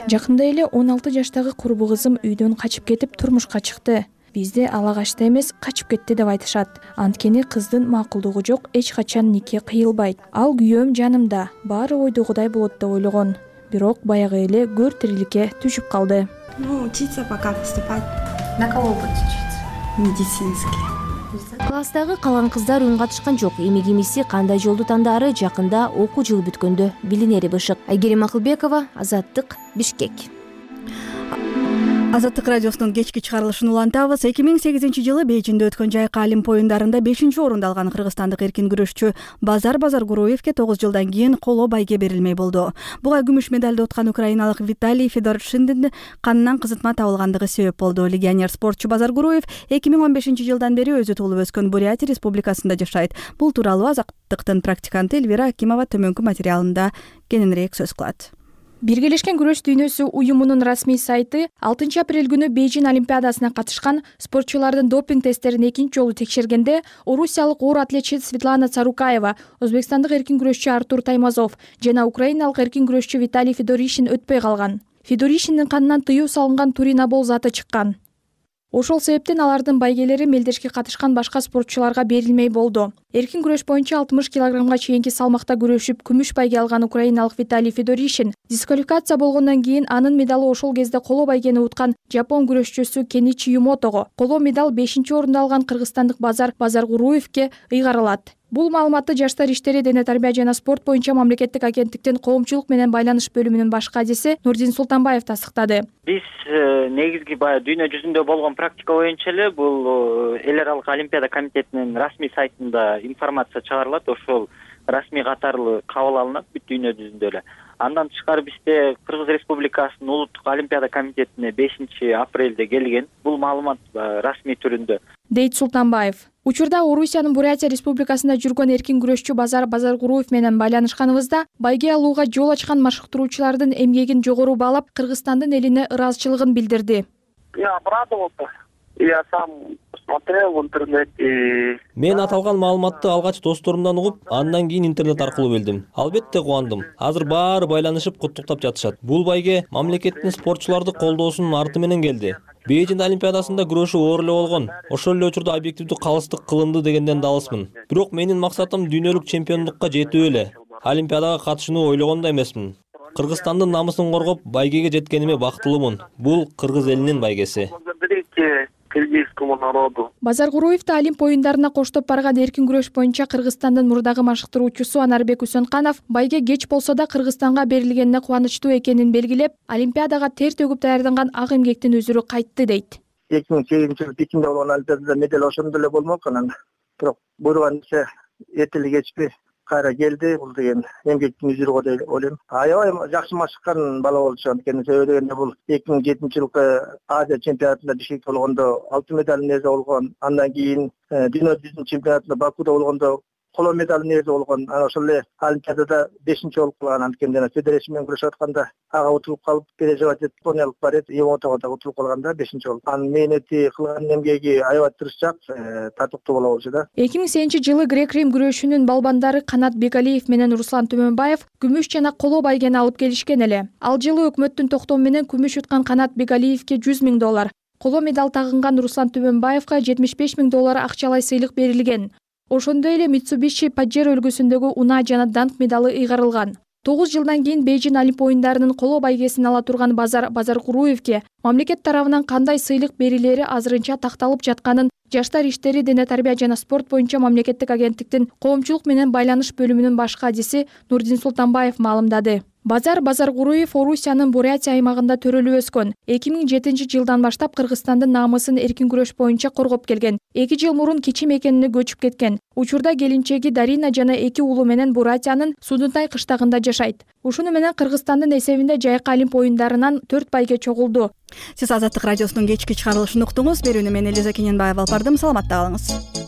Жакында эле 16 жаштагы курбу кызым үйдөн качып кетип турмушка чыкты. Бизде ала качты эмес, качып кетти деп айтышат. Анткени кыздын макулдугу жок, эч качан нике кыйылбайт. Ал күйөөм жанымда, баары ойдогудай болот деп ойлогон. Бирок баягы эле көр тириликке түшүп калды. Учиться пока поступать. На кого будет учиться? Медицинский. Класстагы калган кыздар үн катышкан жок. Эми кимиси кандай жолду тандаары жакында окуу жылы бүткөндө билинери бышык. Айгерим Акылбекова, Азаттык, Бишкек. Азаттык радиосунун кечки чыгарылышын улантабыз. 2008-жылы Бейжиңде өткөн жайкы Олимп оюндарында 5-орунду алган кыргызстандык эркин күрөшчү Базар Базаргуруевке 9 жылдан кийин коло байге берилмей болду. Буга күмүш медалды уткан украиналык Виталий Федоршиндин канынан кызытма табылгандыгы себеп болду. Легионер спортчу Базаргуруев 2015-жылдан бери өзү туулуп өскөн Бурятия республикасында жашайт. Бул тууралуу Азаттыктын практиканты Эльвира Акимова төмөнкү материалында кененирээк сөз кылат. Биргелешкен күрөш дүйнөсү уюмунун расмий сайты 6 апрель күнү Бейжиң Олимпиадасына катышкан спортчулардын допинг тесттерин экинчи жолу текшергенде орусиялык оор атлетчи Светлана Царукаева, өзбекстандык эркин күрөшчү Артур Таймазов жана украиналык эркин күрөшчү Виталий Федоришин өтпөй калган. Федоришиндин канынан тыюу салынган туринабол заты чыккан. Ошол себептен алардын байгелери мелдешке катышкан башка спортчуларга берилмей болду. Эркин күрөш боюнча 60 килограммга чейинки салмакта күрөшүп күмүш байге алган украиналык Виталий Федоришин дисквалификация болгондон кийин анын медалы ошол кезде коло байгени уткан жапон күрөшчүсү Кеничи Юмотого, коло медаль 5-орунду алган кыргызстандык Базар Базаргуруевке ыйгарылат. Бул маалыматты Жаштар иштери, дене тарбия жана спорт боюнча мамлекеттик агенттиктин коомчулук менен байланыш бөлүмүнүн баш кадиси Нурдин Султанбаев тастыктады. Биз негизги баягы дүйнө жүзүндө болгон практика боюнча эле бул эл аралык олимпиада комитетинин расмий сайтында информация чыгарылат. Ошол расмий катарлы кабыл алынат бүт дүйнө жүзүндө эле. Андан тышкары бизде Кыргыз Республикасынын улуттук олимпиада комитетине 5 апрелде келген. Бул маалымат расмий түрүндө, дейт Султанбаев. Учурда Орусиянын Бурятия республикасында жүргөн эркин күрөшчү Базар Базаргуруев менен байланышканыбызда байге алууга жол ачкан машыктыруучулардын эмгегин жогору баалап, Кыргызстандын элине ыраазычылыгын билдирди. Я обрадовался. Я сам смотрел в интернете. Мен аталган маалыматты алгач досторумдан угуп, андан кийин интернет аркылуу билдим. Албетте кубандым. Азыр баары байланышып куттуктап жатышат. Бул байге мамлекеттин спортчуларды колдоосунун арты менен келди. Бейжиң Олимпиадасында күрөшүү оор эле болгон. Ошол эле учурда объективдүү калыстык кылынды дегенден да алысмын. Бирок менин максатым дүйнөлүк чемпиондукка жетүү эле. Олимпиадага катышууну ойлогон да эмесмин. Кыргызстандын намысын коргоп, байгеге жеткениме бактылуумун. Бул кыргыз элинин байгеси. Кыргызскому народу. Базаргуруевди Олимп оюндарына коштоп барган эркин күрөш боюнча Кыргызстандын мурдагы машыктыруучусу Анарбек Үсөнканов байге кеч болсо да Кыргызстанга берилгенине кубанычтуу экенин белгилеп, Олимпиадага тер төгүп даярданган ак эмгектин өзүрү кайтты дейт. 2008-жылы Пекинде болгон Олимпиадада медаль ошондо эле болмок анан. Бирок буйруган иши эртели кечпи кайра келди. Бул деген эмгектин үзүрү деп ойлойм. Аябай жакшы машыккан бала болчу. Анткени себеби дегенде бул 2007-жылкы Азия чемпионатында Бишкекте болгондо алтын медалдын ээси болгон. Андан кийин дүйнө жүзүнүн чемпионатында Бакуде болгондо коло медалдын ээси болгон. Анан ошол эле Олимпиадада 5-чи болуп калган. Анткени жана федерация менен күрөшүп атканда ага утулуп калып, переживать этип, Эстониялык бар эди, Евотого да утулуп калганда 5-чи болуп. Анын мээнети, кылган эмгеги аябай тырышчаак, татыктуу боло болчу да. 2008-жылы грек-рим күрөшүнүн балбандары Канат Бегалиев менен Руслан Төмөнбаев күмүш жана коло байгени алып келишкен эле. Ал жылы өкмөттүн токтому менен күмүш уткан Канат Бегалиевке $100 000, коло медаль тагынган Руслан Төмөнбаевка $75 000 акчалай сыйлык берилген. Ошондой эле Mitsubishi Pajero үлгүсүндөгү унаа жана данк медалы ыйгарылган. 9 жылдан кийин Бейжин Олимп оюндарынын коло байгесин ала турган Базаркуруевке мамлекет тарабынан кандай сыйлык берилери азырынча такталып жатканын Жаштар иштери, дене тарбия жана спорт боюнча мамлекеттик агенттиктин коомчулук менен байланыш бөлүмүнүн баш кадиси Нурдин Султанбаев маалымдады. Базаркуруев Орусиянын Бурятия аймагында төрөлүп өскөн. 2007-жылдан баштап Кыргызстандын намысын эркин күрөш боюнча коргоп келген. 2 жыл мурун Кичи мекенине көчүп кеткен. Учурда келинчеги Дарина жана 2 уулу менен Бурятиянын Судунтай кыштагында жашайт. Ушуну менен Кыргызстандын эсебинде жайкы Олимп оюндарынан 4 байге чогулду. Сиз Азаттык радиосунун кечки чыгарылышын уктуңуз. Берүүнү мен Элиза Кененбаева алып бардым. Саламатта калыңыз.